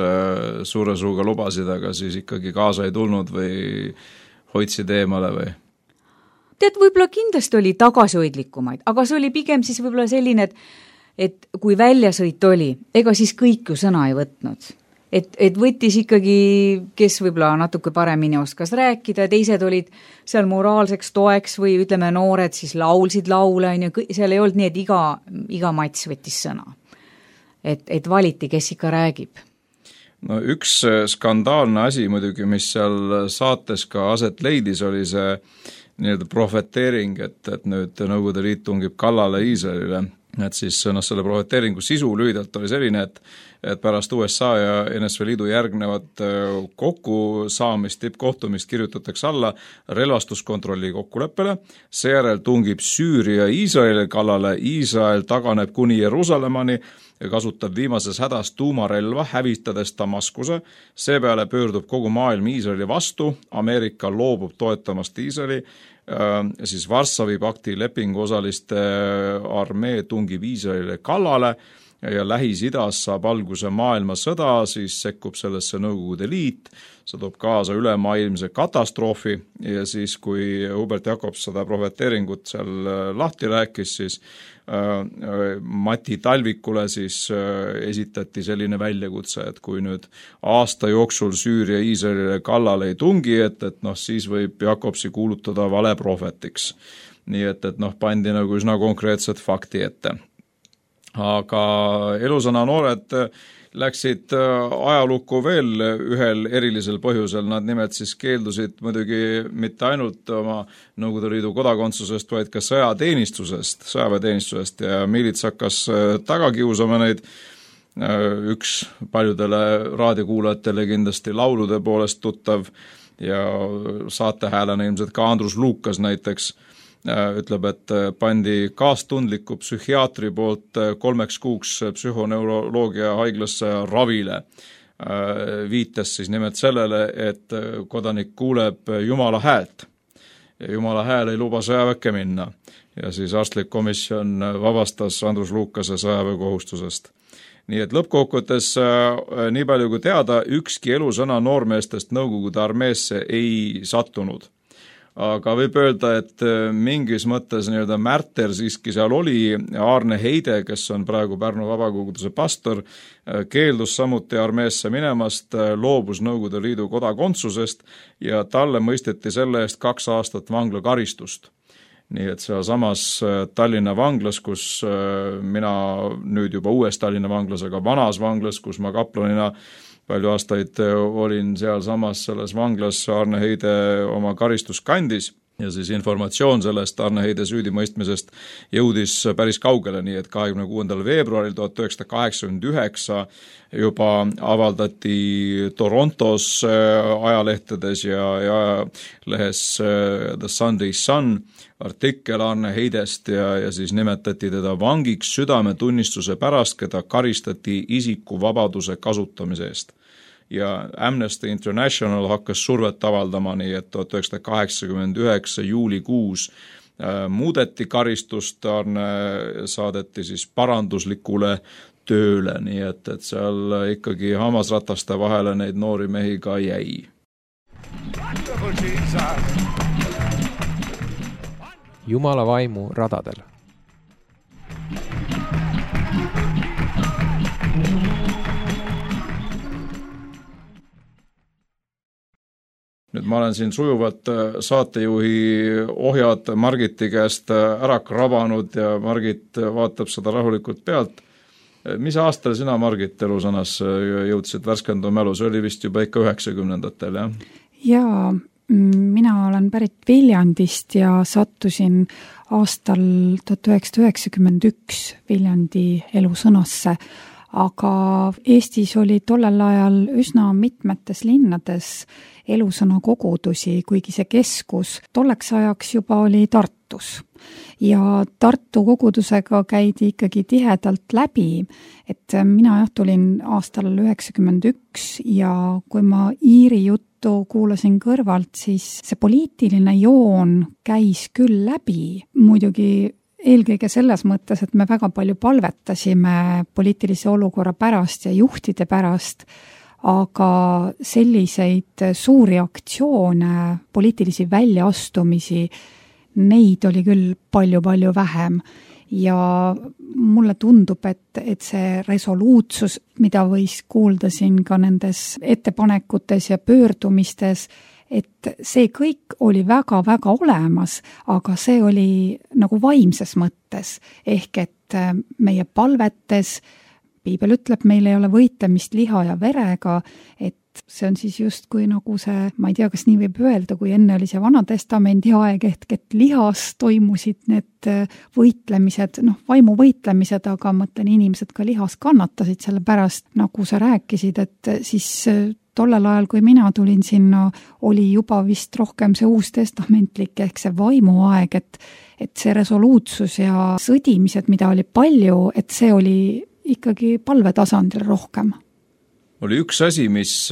suure suuga lubasid, aga siis ikkagi kaasa ei tulnud või hoidsid eemale või? Tead, võib-olla kindlasti oli tagasihoidlikumaid, aga see oli pigem siis võib-olla selline, et kui väljasõit oli, ega siis kõik ju sõna ei võtnud. Et võttis ikkagi, kes võib-olla natuke paremini oskas rääkida, teised olid seal moraalseks toeks või ütleme noored siis laulsid laule, seal ei olnud nii, et iga mats võttis sõna. Et valiti, kes ikka räägib. No üks skandaalne asi muidugi, mis seal saates ka aset leidis, oli see nii-öelda profeteering, et nüüd Nõukogude Liit tungib kallale Iisraelile. Et siis selle profeteeringu sisu lühidalt oli selline, et pärast USA ja NSV Liidu järgnevat kokkusaamist, tippkohtumist kirjutatakse alla relvastuskontrolli kokkuleppele, seejärel tungib Süüria Iisraeli kallale, Iisrael taganeb kuni Jeruusalemmani ja kasutab viimases hädas tuumarelva, hävitades Damaskuse, seepeale pöördub kogu maailm Iisraeli vastu, Ameerika loobub toetamast Iisraeli, siis Varssavi pakti lepinguosaliste armee tungib Iisraelile kallale ja Lähis-Idas saab alguse maailmasõda, siis sekkub sellesse Nõukogude Liit, see toob kaasa ülemaailmse katastroofi ja siis, kui Hubert Jakobs seda profeteeringut seal lahti rääkis, siis Mati Talvikule siis esitati selline väljakutse, et kui nüüd aasta jooksul Süüria Iisraelile kallale ei tungi, et siis võib Jakobsi kuulutada valeprohvetiks. Nii et pandi nagu üsna konkreetset fakti ette. Aga Elusõna noored läksid ajalukku veel ühel erilisel põhjusel, nad nimelt siis keeldusid muidugi mitte ainult oma Nõukogude Liidu kodakondsusest, vaid ka sõjaväeteenistusest ja miilits hakkas taga kiusama neid, üks paljudele raadiokuulajatele kindlasti laulude poolest tuttav ja saatehäälena ilmselt ka Andrus Lukas näiteks, ütleb, et pandi kaastundliku psühhiaatri poolt 3 kuuks psühhoneuroloogia haiglasse ravile. Viitas siis nimelt sellele, et kodanik kuuleb Jumala häält ja Jumala hääl ei luba sõjaväkke minna. Ja siis arstlik komisjon vabastas Andrus Lukase sõjaväekohustusest. Nii et lõppkokkuvõttes nii palju kui teada, ükski Elusõna noormeestest Nõukogude armeesse ei sattunud. aga võib öelda, et mingis mõttes nii-öelda märter siiski seal oli. Aarne Heide, kes on praegu Pärnu vabakoguduse pastor, keeldus samuti armeesse minemast, loobus Nõukogude Liidu kodakondsusest ja talle mõisteti selle eest 2 aastat vanglakaristust. Nii et seal samas Tallinna vanglas, kus mina nüüd juba uues Tallinna vanglas, aga vanas vanglas, kus ma kaplanina palju aastaid olin seal samas selles vanglas, Aarne Heide oma karistus kandis ja siis informatsioon sellest Aarne Heide süüdimõistmisest jõudis päris kaugele, nii et 26. veebruaril 1989 juba avaldati Torontos ajalehtedes ja ajalehes The Sunday Sun artikkel Aarne Heidest ja siis nimetati teda vangiks südametunnistuse pärast, keda karistati isikuvabaduse kasutamise eest. Ja Amnesty International hakkas survet avaldama, nii et 1989 juulikuus muudeti karistust, Aarne saadeti siis paranduslikule tööle, nii et seal ikkagi hammasrataste vahele neid noori mehi ka jäi. Jumala vaimu radadel. Nüüd ma olen siin sujuvalt saatejuhi ohjad Margiti käest ära krabanud ja Margit vaatab seda rahulikult pealt. Mis aastal sina, Margit, elusõnas jõudsid värskenduma mälu? See oli vist juba ikka 90-ndatel, jah? Jaa, mina olen pärit Viljandist ja sattusin aastal 1991 Viljandi elusõnasse, aga Eestis oli tollel ajal üsna mitmetes linnades elusõna kogudusi, kuigi see keskus tolleks ajaks juba oli Tartus. Ja Tartu kogudusega käidi ikkagi tihedalt läbi, et mina tulin aastal 91 ja kui ma Iiri juttu kuulasin kõrvalt, siis see poliitiline joon käis küll läbi, muidugi eelkõige selles mõttes, et me väga palju palvetasime poliitilise olukorra pärast ja juhtide pärast, aga selliseid suuri aktsioone, poliitilisi väljaastumisi, neid oli küll palju-palju vähem ja mulle tundub, et see resoluutsus, mida võis kuulda siin ka nendes ettepanekutes ja pöördumistes, et see kõik oli väga-väga olemas, aga see oli nagu vaimses mõttes, ehk et meie palvetes, Piibel ütleb, meil ei ole võitlemist liha ja verega, et see on siis justkui nagu see, ma ei tea, kas nii võib öelda, kui enne oli see Vanatestamendi aeg, et lihas toimusid need võitlemised, vaimu võitlemised, aga mõtlen, inimesed ka lihas kannatasid selle pärast, nagu sa rääkisid, et siis tollel ajal, kui mina tulin sinna, oli juba vist rohkem see uustestamentlik ehk see vaimuaeg, et see resoluutsus ja sõdimised, mida oli palju, et see oli ikkagi palvetasandil rohkem. Oli üks asi, mis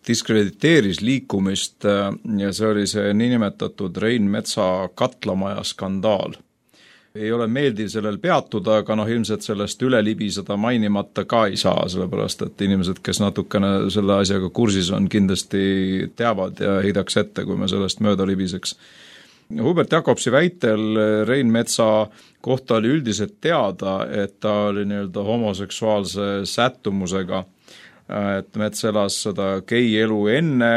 diskrediteeris liikumist ja see oli see niinimetatud Rein Metsa katlamaja skandaal. Ei ole meeldiv sellel peatuda, aga ilmselt sellest üle libiseda mainimata ka ei saa, sellepärast et inimesed, kes natukene selle asjaga kursis on, kindlasti teavad ja heidaks ette, kui me sellest mööda libiseks. Hubert Jakobsi väitel Rein Metsa kohta oli üldiselt teada, et ta oli nii-öelda homoseksuaalse sättumusega, et Mets elas seda gei-elu enne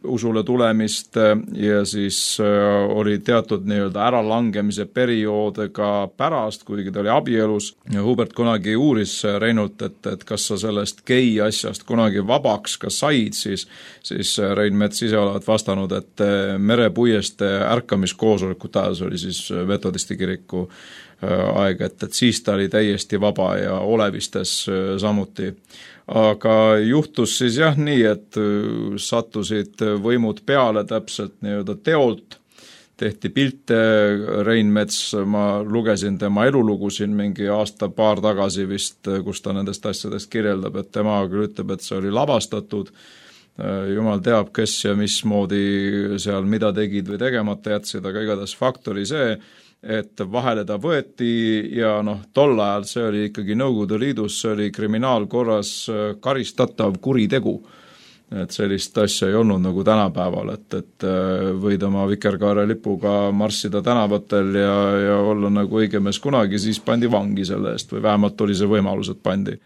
usule tulemist ja siis oli teatud nii-öelda äralangemise perioode ka pärast, kuigi ta oli abielus. Ja Hubert kunagi uuris Reinult, et kas sa sellest gei asjast kunagi vabaks ka said, siis Rein Mets ise olevat vastanud, et merepuieste ärkamiskoosolekut ajas oli siis metodisti kiriku aeg, et siis ta oli täiesti vaba ja olevistes samuti. Aga juhtus siis nii, et sattusid võimud peale täpselt nii-öelda teolt, tehti pilte. Rein Mets, ma lugesin tema elulugu siin mingi aasta-paar tagasi vist, kus ta nendest asjadest kirjeldab, et tema küll ütleb, et see oli lavastatud. Jumal teab, kes ja mismoodi seal mida tegid või tegemata jätsid, aga igatahes fakt oli see, et vahele ta võeti ja tol ajal see oli ikkagi Nõukogude Liidus, see oli kriminaalkorras karistatav kuritegu. et sellist asja ei olnud nagu tänapäeval, et võid oma vikerkaare lipuga marssida tänavatel ja olla nagu õige mees kunagi, siis pandi vangi selle eest või vähemalt oli see võimalus, et pandi.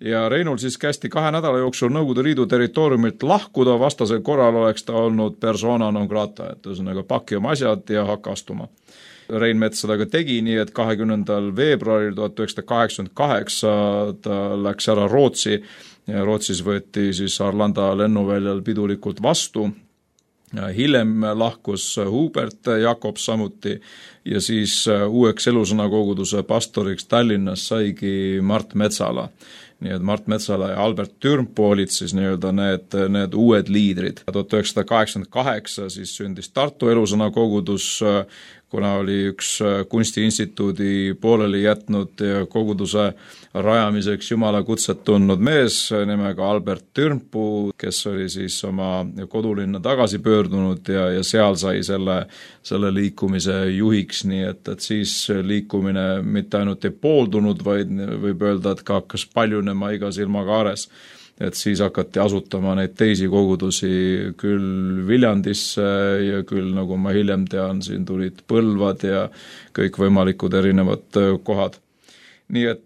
Ja Reinul siis kästi 2 nädala jooksul Nõukogude Liidu territooriumilt lahkuda, vastasel korral oleks ta olnud persona non grata, et ühesõnaga paki oma asjad ja hakka astuma. Rein Mets seda ka tegi nii, et 20. veebruaril 1988 ta läks ära Rootsi ja Rootsis võeti siis Arlanda lennuväljal pidulikult vastu. Hiljem lahkus Hubert Jakobs samuti ja siis uueks elusõnakoguduse pastoriks Tallinnas saigi Mart Metsala. Nii et Mart Metsala ja Albert Türmpu olid siis nii-öelda need uued liidrid. 1988 siis sündis Tartu elusõnakogudus, kuna oli üks kunstiinstituudi pooleli jätnud ja koguduse rajamiseks Jumala kutset tundnud mees nimega Albert Türmpu, kes oli siis oma kodulinna tagasi pöördunud ja seal sai selle liikumise juhiks, nii et siis liikumine mitte ainult ei pooldunud, vaid võib öelda, et ka hakkas paljunema iga silmaga aares. Et siis hakati asutama neid teisi kogudusi küll Viljandisse ja küll, nagu ma hiljem tean, siin tulid Põlvad ja kõik võimalikud erinevad kohad. Nii et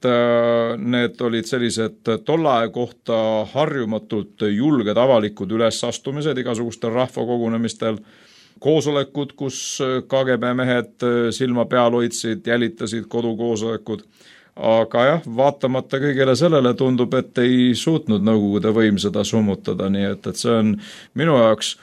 need olid sellised tollae kohta harjumatult julged avalikud ülesastumised igasugustel rahvakogunemistel, koosolekud, kus KGB mehed silma peal hoidsid, jälitasid kodukoosolekud. Aga jah, vaatamata kõigele sellele tundub, et ei suutnud Nõukogude võim seda summutada, nii et see on minu jaoks,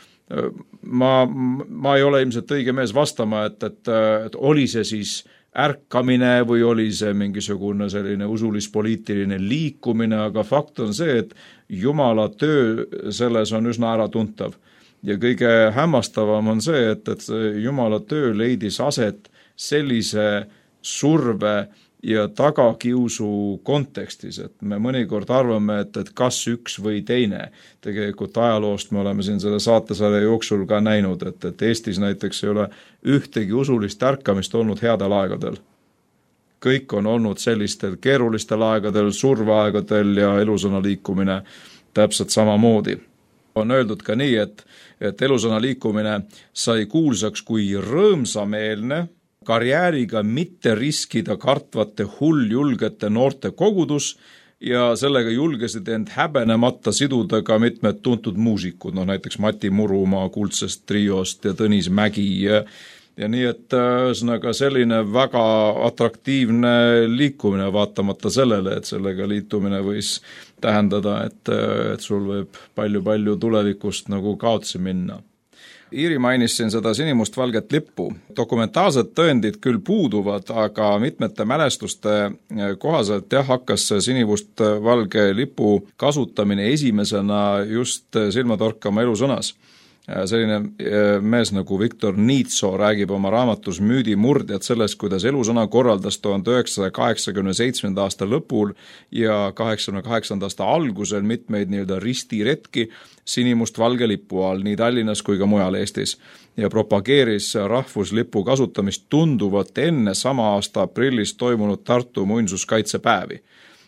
ma ei ole ilmselt õige mees vastama, et oli see siis ärkamine või oli see mingisugune selline usulis-poliitiline liikumine, aga fakt on see, et Jumala töö selles on üsna äratuntav. Ja kõige hämmastavam on see, et Jumala töö leidis aset sellise surve ja tagakiusu kontekstis, et me mõnikord arvame, et kas üks või teine. Tegelikult ajaloost me oleme siin selle saatesarja jooksul ka näinud, et Eestis näiteks ei ole ühtegi usulist ärkamist olnud headel aegadel. Kõik on olnud sellistel keerulistel aegadel, surveaegadel ja elusõna liikumine täpselt samamoodi. On öeldud ka nii, et elusõna liikumine sai kuulsaks kui rõõmsameelne, karjääriga mitte riskida kartvate hulljulgete noorte kogudus ja sellega julgesid end häbenemata siduda ka mitmed tuntud muusikud, näiteks Mati Murumaa Kuldsest triost ja Tõnis Mägi ja nii, et ühesõnaga selline väga atraktiivne liikumine vaatamata sellele, et sellega liitumine võis tähendada, et sul võib palju tulevikust nagu kaotsi minna. Iiri mainis siin seda sinimustvalget lippu. Dokumentaalsed tõendid küll puuduvad, aga mitmete mälestuste kohaselt hakkas sinimustvalge lipu kasutamine esimesena just silmatorkama elusõnas. Selline mees nagu Viktor Niitso räägib oma raamatus Müüdimurdjad sellest, kuidas elusõna korraldas 1987. aasta lõpul ja 88. aasta algusel mitmeid nii-öelda ristiretki sinimustvalge lipu all nii Tallinnas kui ka mujal Eestis ja propageeris rahvuslipu kasutamist tunduvalt enne sama aasta aprillis toimunud Tartu muinsuskaitsepäevi.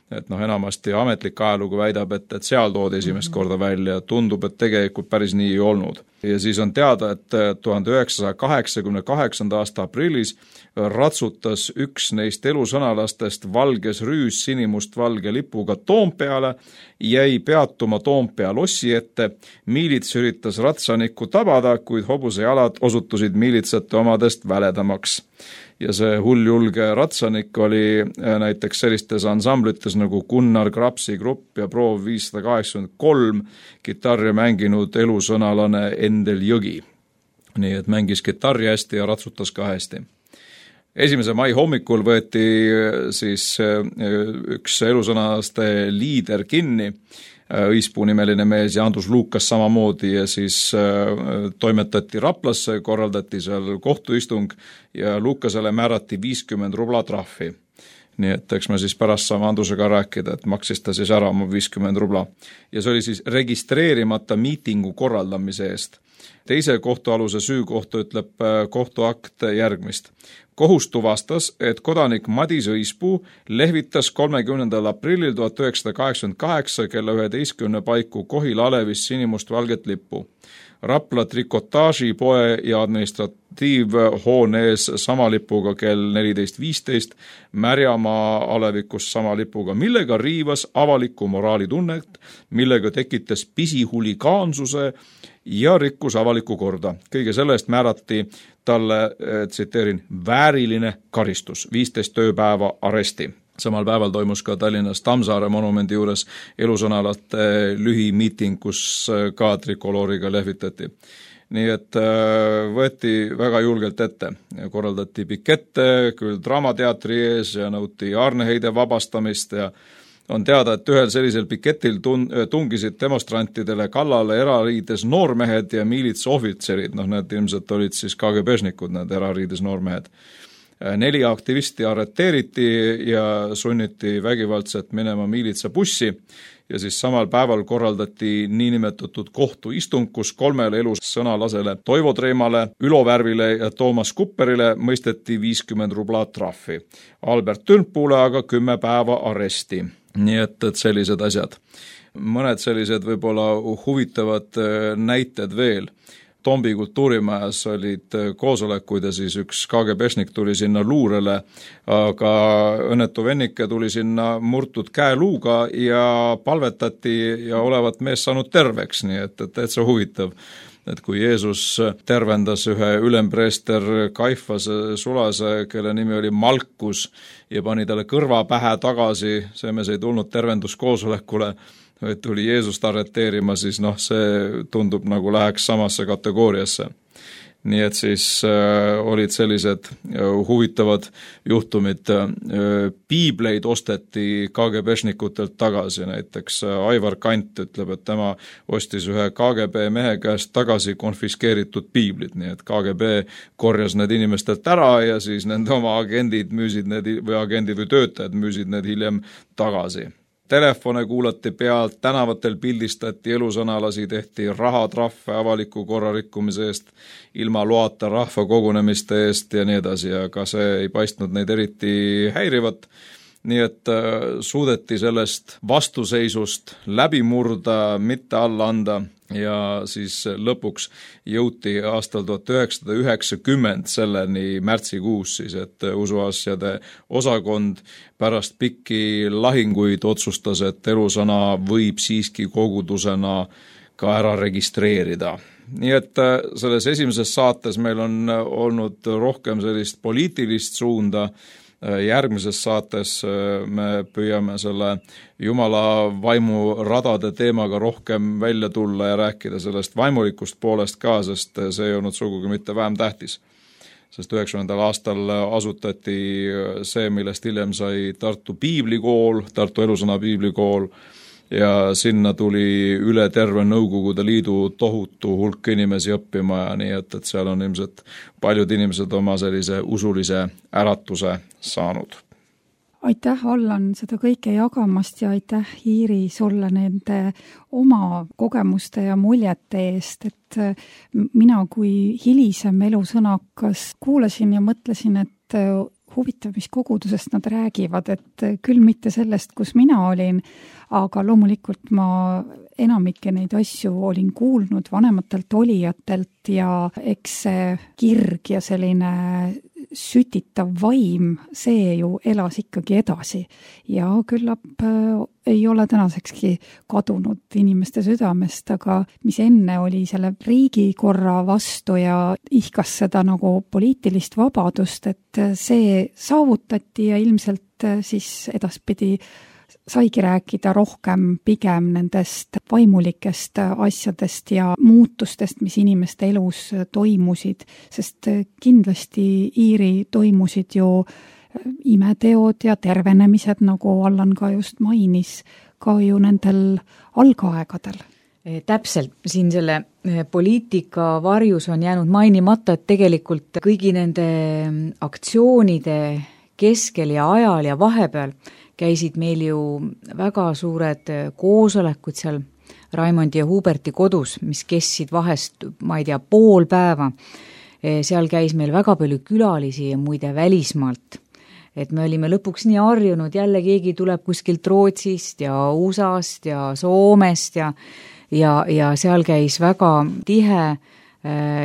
Et enamasti ametlik ajalugu väidab, et seal toodi esimest korda välja, tundub, et tegelikult päris nii ei olnud. Ja siis on teada, et 1988. aasta aprillis ratsutas üks neist elusõnalastest valges rüüs sinimustvalge lipuga Toompeale, jäi peatuma Toompea lossi ette, miilits üritas ratsanikku tabada, kuid hobuse jalad osutusid miilitsate omadest väledamaks. Ja see hulljulge ratsanik oli näiteks sellistes ansamblites nagu Gunnar Krapsi grupp ja Proov 583 kitarri mänginud elusõnalane Endel Jõgi. Nii et mängis kitarri hästi ja ratsutas ka hästi. 1. mai hommikul võeti siis üks elusõnalaste liider kinni, Õispuu nimeline mees ja Andrus Luukas samamoodi ja siis toimetati Raplasse, korraldati seal kohtuistung ja Luukasele määrati 50 rubla trahvi. Nii et eks me siis pärast saame Andrusega rääkida, et maksis ta siis ära oma 50 rubla. Ja see oli siis registreerimata miitingu korraldamise eest. Teise kohtualuse süü kohta ütleb kohtuakt järgmist. Kohus tuvastas, et kodanik Madis Õispuu lehvitas 30. aprillil 1988 kella 11 paiku Kohila Alevis sinimustvalget lippu. Rapla trikotaažipoe ja administratiivhoone ees sama lipuga kell 14.15, Märjamaa alevikus sama lipuga, millega riivas avalikku moraalitunnet, millega tekitas pisihulligaansuse ja rikkus avalikku korda. Kõige sellest määrati talle, tsiteerin, vääriline karistus, 15 tööpäeva aresti. Samal päeval toimus ka Tallinnas Tammsaare monumendi juures elusõnalate lühimiiting, kus ka trikolooriga lehvitati. Nii et võeti väga julgelt ette. Korraldati pikette, küll Draamateatri ees ja nõuti Arneheide vabastamist ja on teada, et ühel sellisel piketil tungisid demonstrantidele kallale erariides noormehed ja miilitsohvitserid. Need ilmselt olid siis KGB-šnikud, need erariides noormehed. 4 aktivisti arreteeriti ja sunniti vägivaldselt minema miilitsabussi ja siis samal päeval korraldati niinimetatud kohtuistung, kus 3 elussõnalasele Toivo Treemale, Ülo Värvile ja Toomas Kupperile mõisteti 50 rubla trahvi. Albert Türnpuule aga 10 päeva aresti. Nii et sellised asjad. Mõned sellised võib-olla huvitavad näited veel. Tombi kultuurimajas olid koosolekuid ja siis üks KGB-šnik tuli sinna luurele, aga õnnetu vennike tuli sinna murtud käeluuga ja palvetati ja olevat mees saanud terveks, nii et täitsa huvitav. Et kui Jeesus tervendas ühe ülempreester Kaifase sulase, kelle nimi oli Malkus ja pani talle kõrva pähe tagasi, see mees ei tulnud tervenduskoosolekule, et tuli Jeesust arreteerima, siis see tundub nagu läheks samasse kategooriasse. Nii et siis olid sellised huvitavad juhtumid. Piibleid osteti KGB-šnikutelt tagasi, näiteks Aivar Kant ütleb, et tema ostis ühe KGB mehe käest tagasi konfiskeeritud piiblid, nii et KGB korjas need inimestelt ära ja siis nende oma agendid müüsid need või töötajad müüsid need hiljem tagasi. Telefone kuulati pealt, tänavatel pildistati elusõnalasi, tehti rahatrahve avaliku korra rikkumise eest, ilma loata rahva kogunemiste eest ja nii edasi, aga see ei paistnud neid eriti häirivat. Nii et suudeti sellest vastuseisust läbi murda, mitte alla anda ja siis lõpuks jõuti aastal 1990 selleni märtsikuus siis, et usuasjade osakond pärast pikki lahinguid otsustas, et elusõna võib siiski kogudusena ka ära registreerida. Nii et selles esimeses saates meil on olnud rohkem sellist poliitilist suunda. Järgmises saates me püüame selle Jumala vaimu radade teemaga rohkem välja tulla ja rääkida sellest vaimulikust poolest ka, sest see ei olnud sugugi mitte vähem tähtis. Sest 90. aastal asutati see, millest hiljem sai Tartu Piiblikool, Tartu elusõna Piiblikool ja sinna tuli üle terve Nõukogude Liidu tohutu hulk inimesi õppima ja nii, et seal on ilmselt paljud inimesed oma sellise usulise äratuse saanud. Aitäh, Allan, seda kõike jagamast ja aitäh, Iiri, sulle nende oma kogemuste ja muljete eest, et mina kui hilisem elusõnakas kuulasin ja mõtlesin, et huvitav, mis kogudusest nad räägivad, et küll mitte sellest, kus mina olin, aga loomulikult ma enamikke neid asju olin kuulnud vanematelt olijatelt ja eks see kirg ja selline sütitav vaim, see ju elas ikkagi edasi ja küllap ei ole tänasekski kadunud inimeste südamest, aga mis enne oli selle riigikorra vastu ja ihkas seda nagu poliitilist vabadust, et see saavutati ja ilmselt siis edaspidi saigi rääkida rohkem pigem nendest vaimulikest asjadest ja muutustest, mis inimeste elus toimusid, sest kindlasti, Iiri, toimusid ju imeteod ja tervenemised, nagu Allan ka just mainis, ka ju nendel algaegadel. Täpselt, siin selle poliitika varjus on jäänud mainimata, et tegelikult kõigi nende aktsioonide keskel ja ajal ja vahepeal käisid meil ju väga suured koosolekud seal Raimondi ja Huberti kodus, mis kestsid vahest, ma ei tea, pool päeva. seal käis meil väga palju külalisi ja muide välismaalt. Et me olime lõpuks nii harjunud, jälle keegi tuleb kuskilt Rootsist ja USAst ja Soomest ja seal käis väga tihe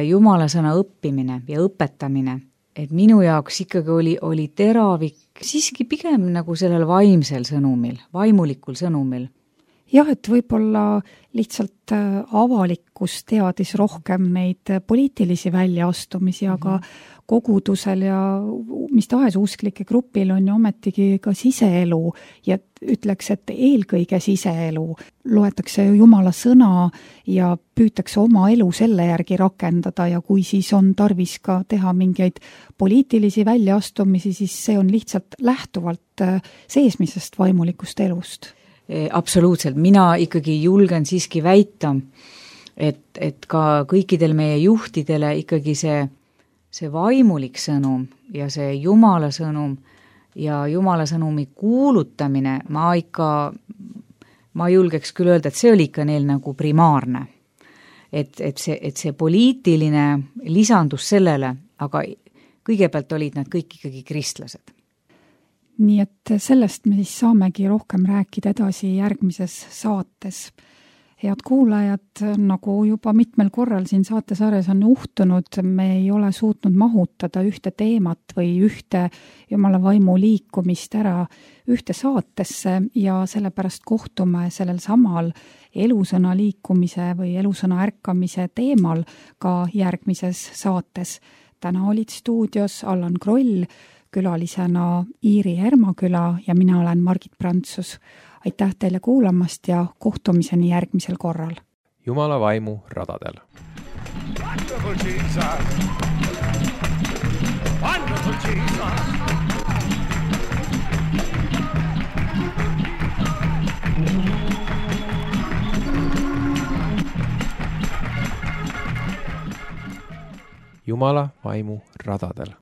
jumalasõna õppimine ja õpetamine. Et minu jaoks ikkagi oli teravik siiski pigem nagu sellel vaimsel sõnumil, vaimulikul sõnumil. Jah, et võib-olla lihtsalt avalikkus teadis rohkem neid poliitilisi väljaastumisi, aga kogudusel ja mis tahes usklike grupil on ju ometigi ka siseelu ja ütleks, et eelkõige siseelu. Loetakse Jumala sõna ja püütakse oma elu selle järgi rakendada ja kui siis on tarvis ka teha mingeid poliitilisi väljaastumisi, siis see on lihtsalt lähtuvalt seesmisest vaimulikust elust. Absoluutselt, mina ikkagi julgen siiski väita, et ka kõikidel meie juhtidele ikkagi see vaimulik sõnum ja see Jumala sõnum ja Jumala sõnumi kuulutamine, ma julgeks küll öelda, et see oli ikka neil nagu primaarne. Et see poliitiline lisandus sellele, aga kõigepealt olid nad kõik ikkagi kristlased. Nii et sellest me siis saamegi rohkem rääkida edasi järgmises saates. Head kuulajad, nagu juba mitmel korral siin saatesarjas on uhtunud, me ei ole suutnud mahutada ühte teemat või ühte Jumala vaimu liikumist ära ühte saatesse ja sellepärast kohtume sellel samal elusõna liikumise või elusõna ärkamise teemal ka järgmises saates. Täna olid stuudios Allan Kroll, külalisena Iiri Hermaküla ja mina olen Margit Prantsus. Aitäh teile kuulamast ja kohtumiseni järgmisel korral. Jumala vaimu radadel. Wonderful Jesus. Wonderful Jesus. Jumala vaimu radadel.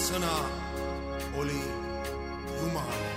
Sõna oli Jumal.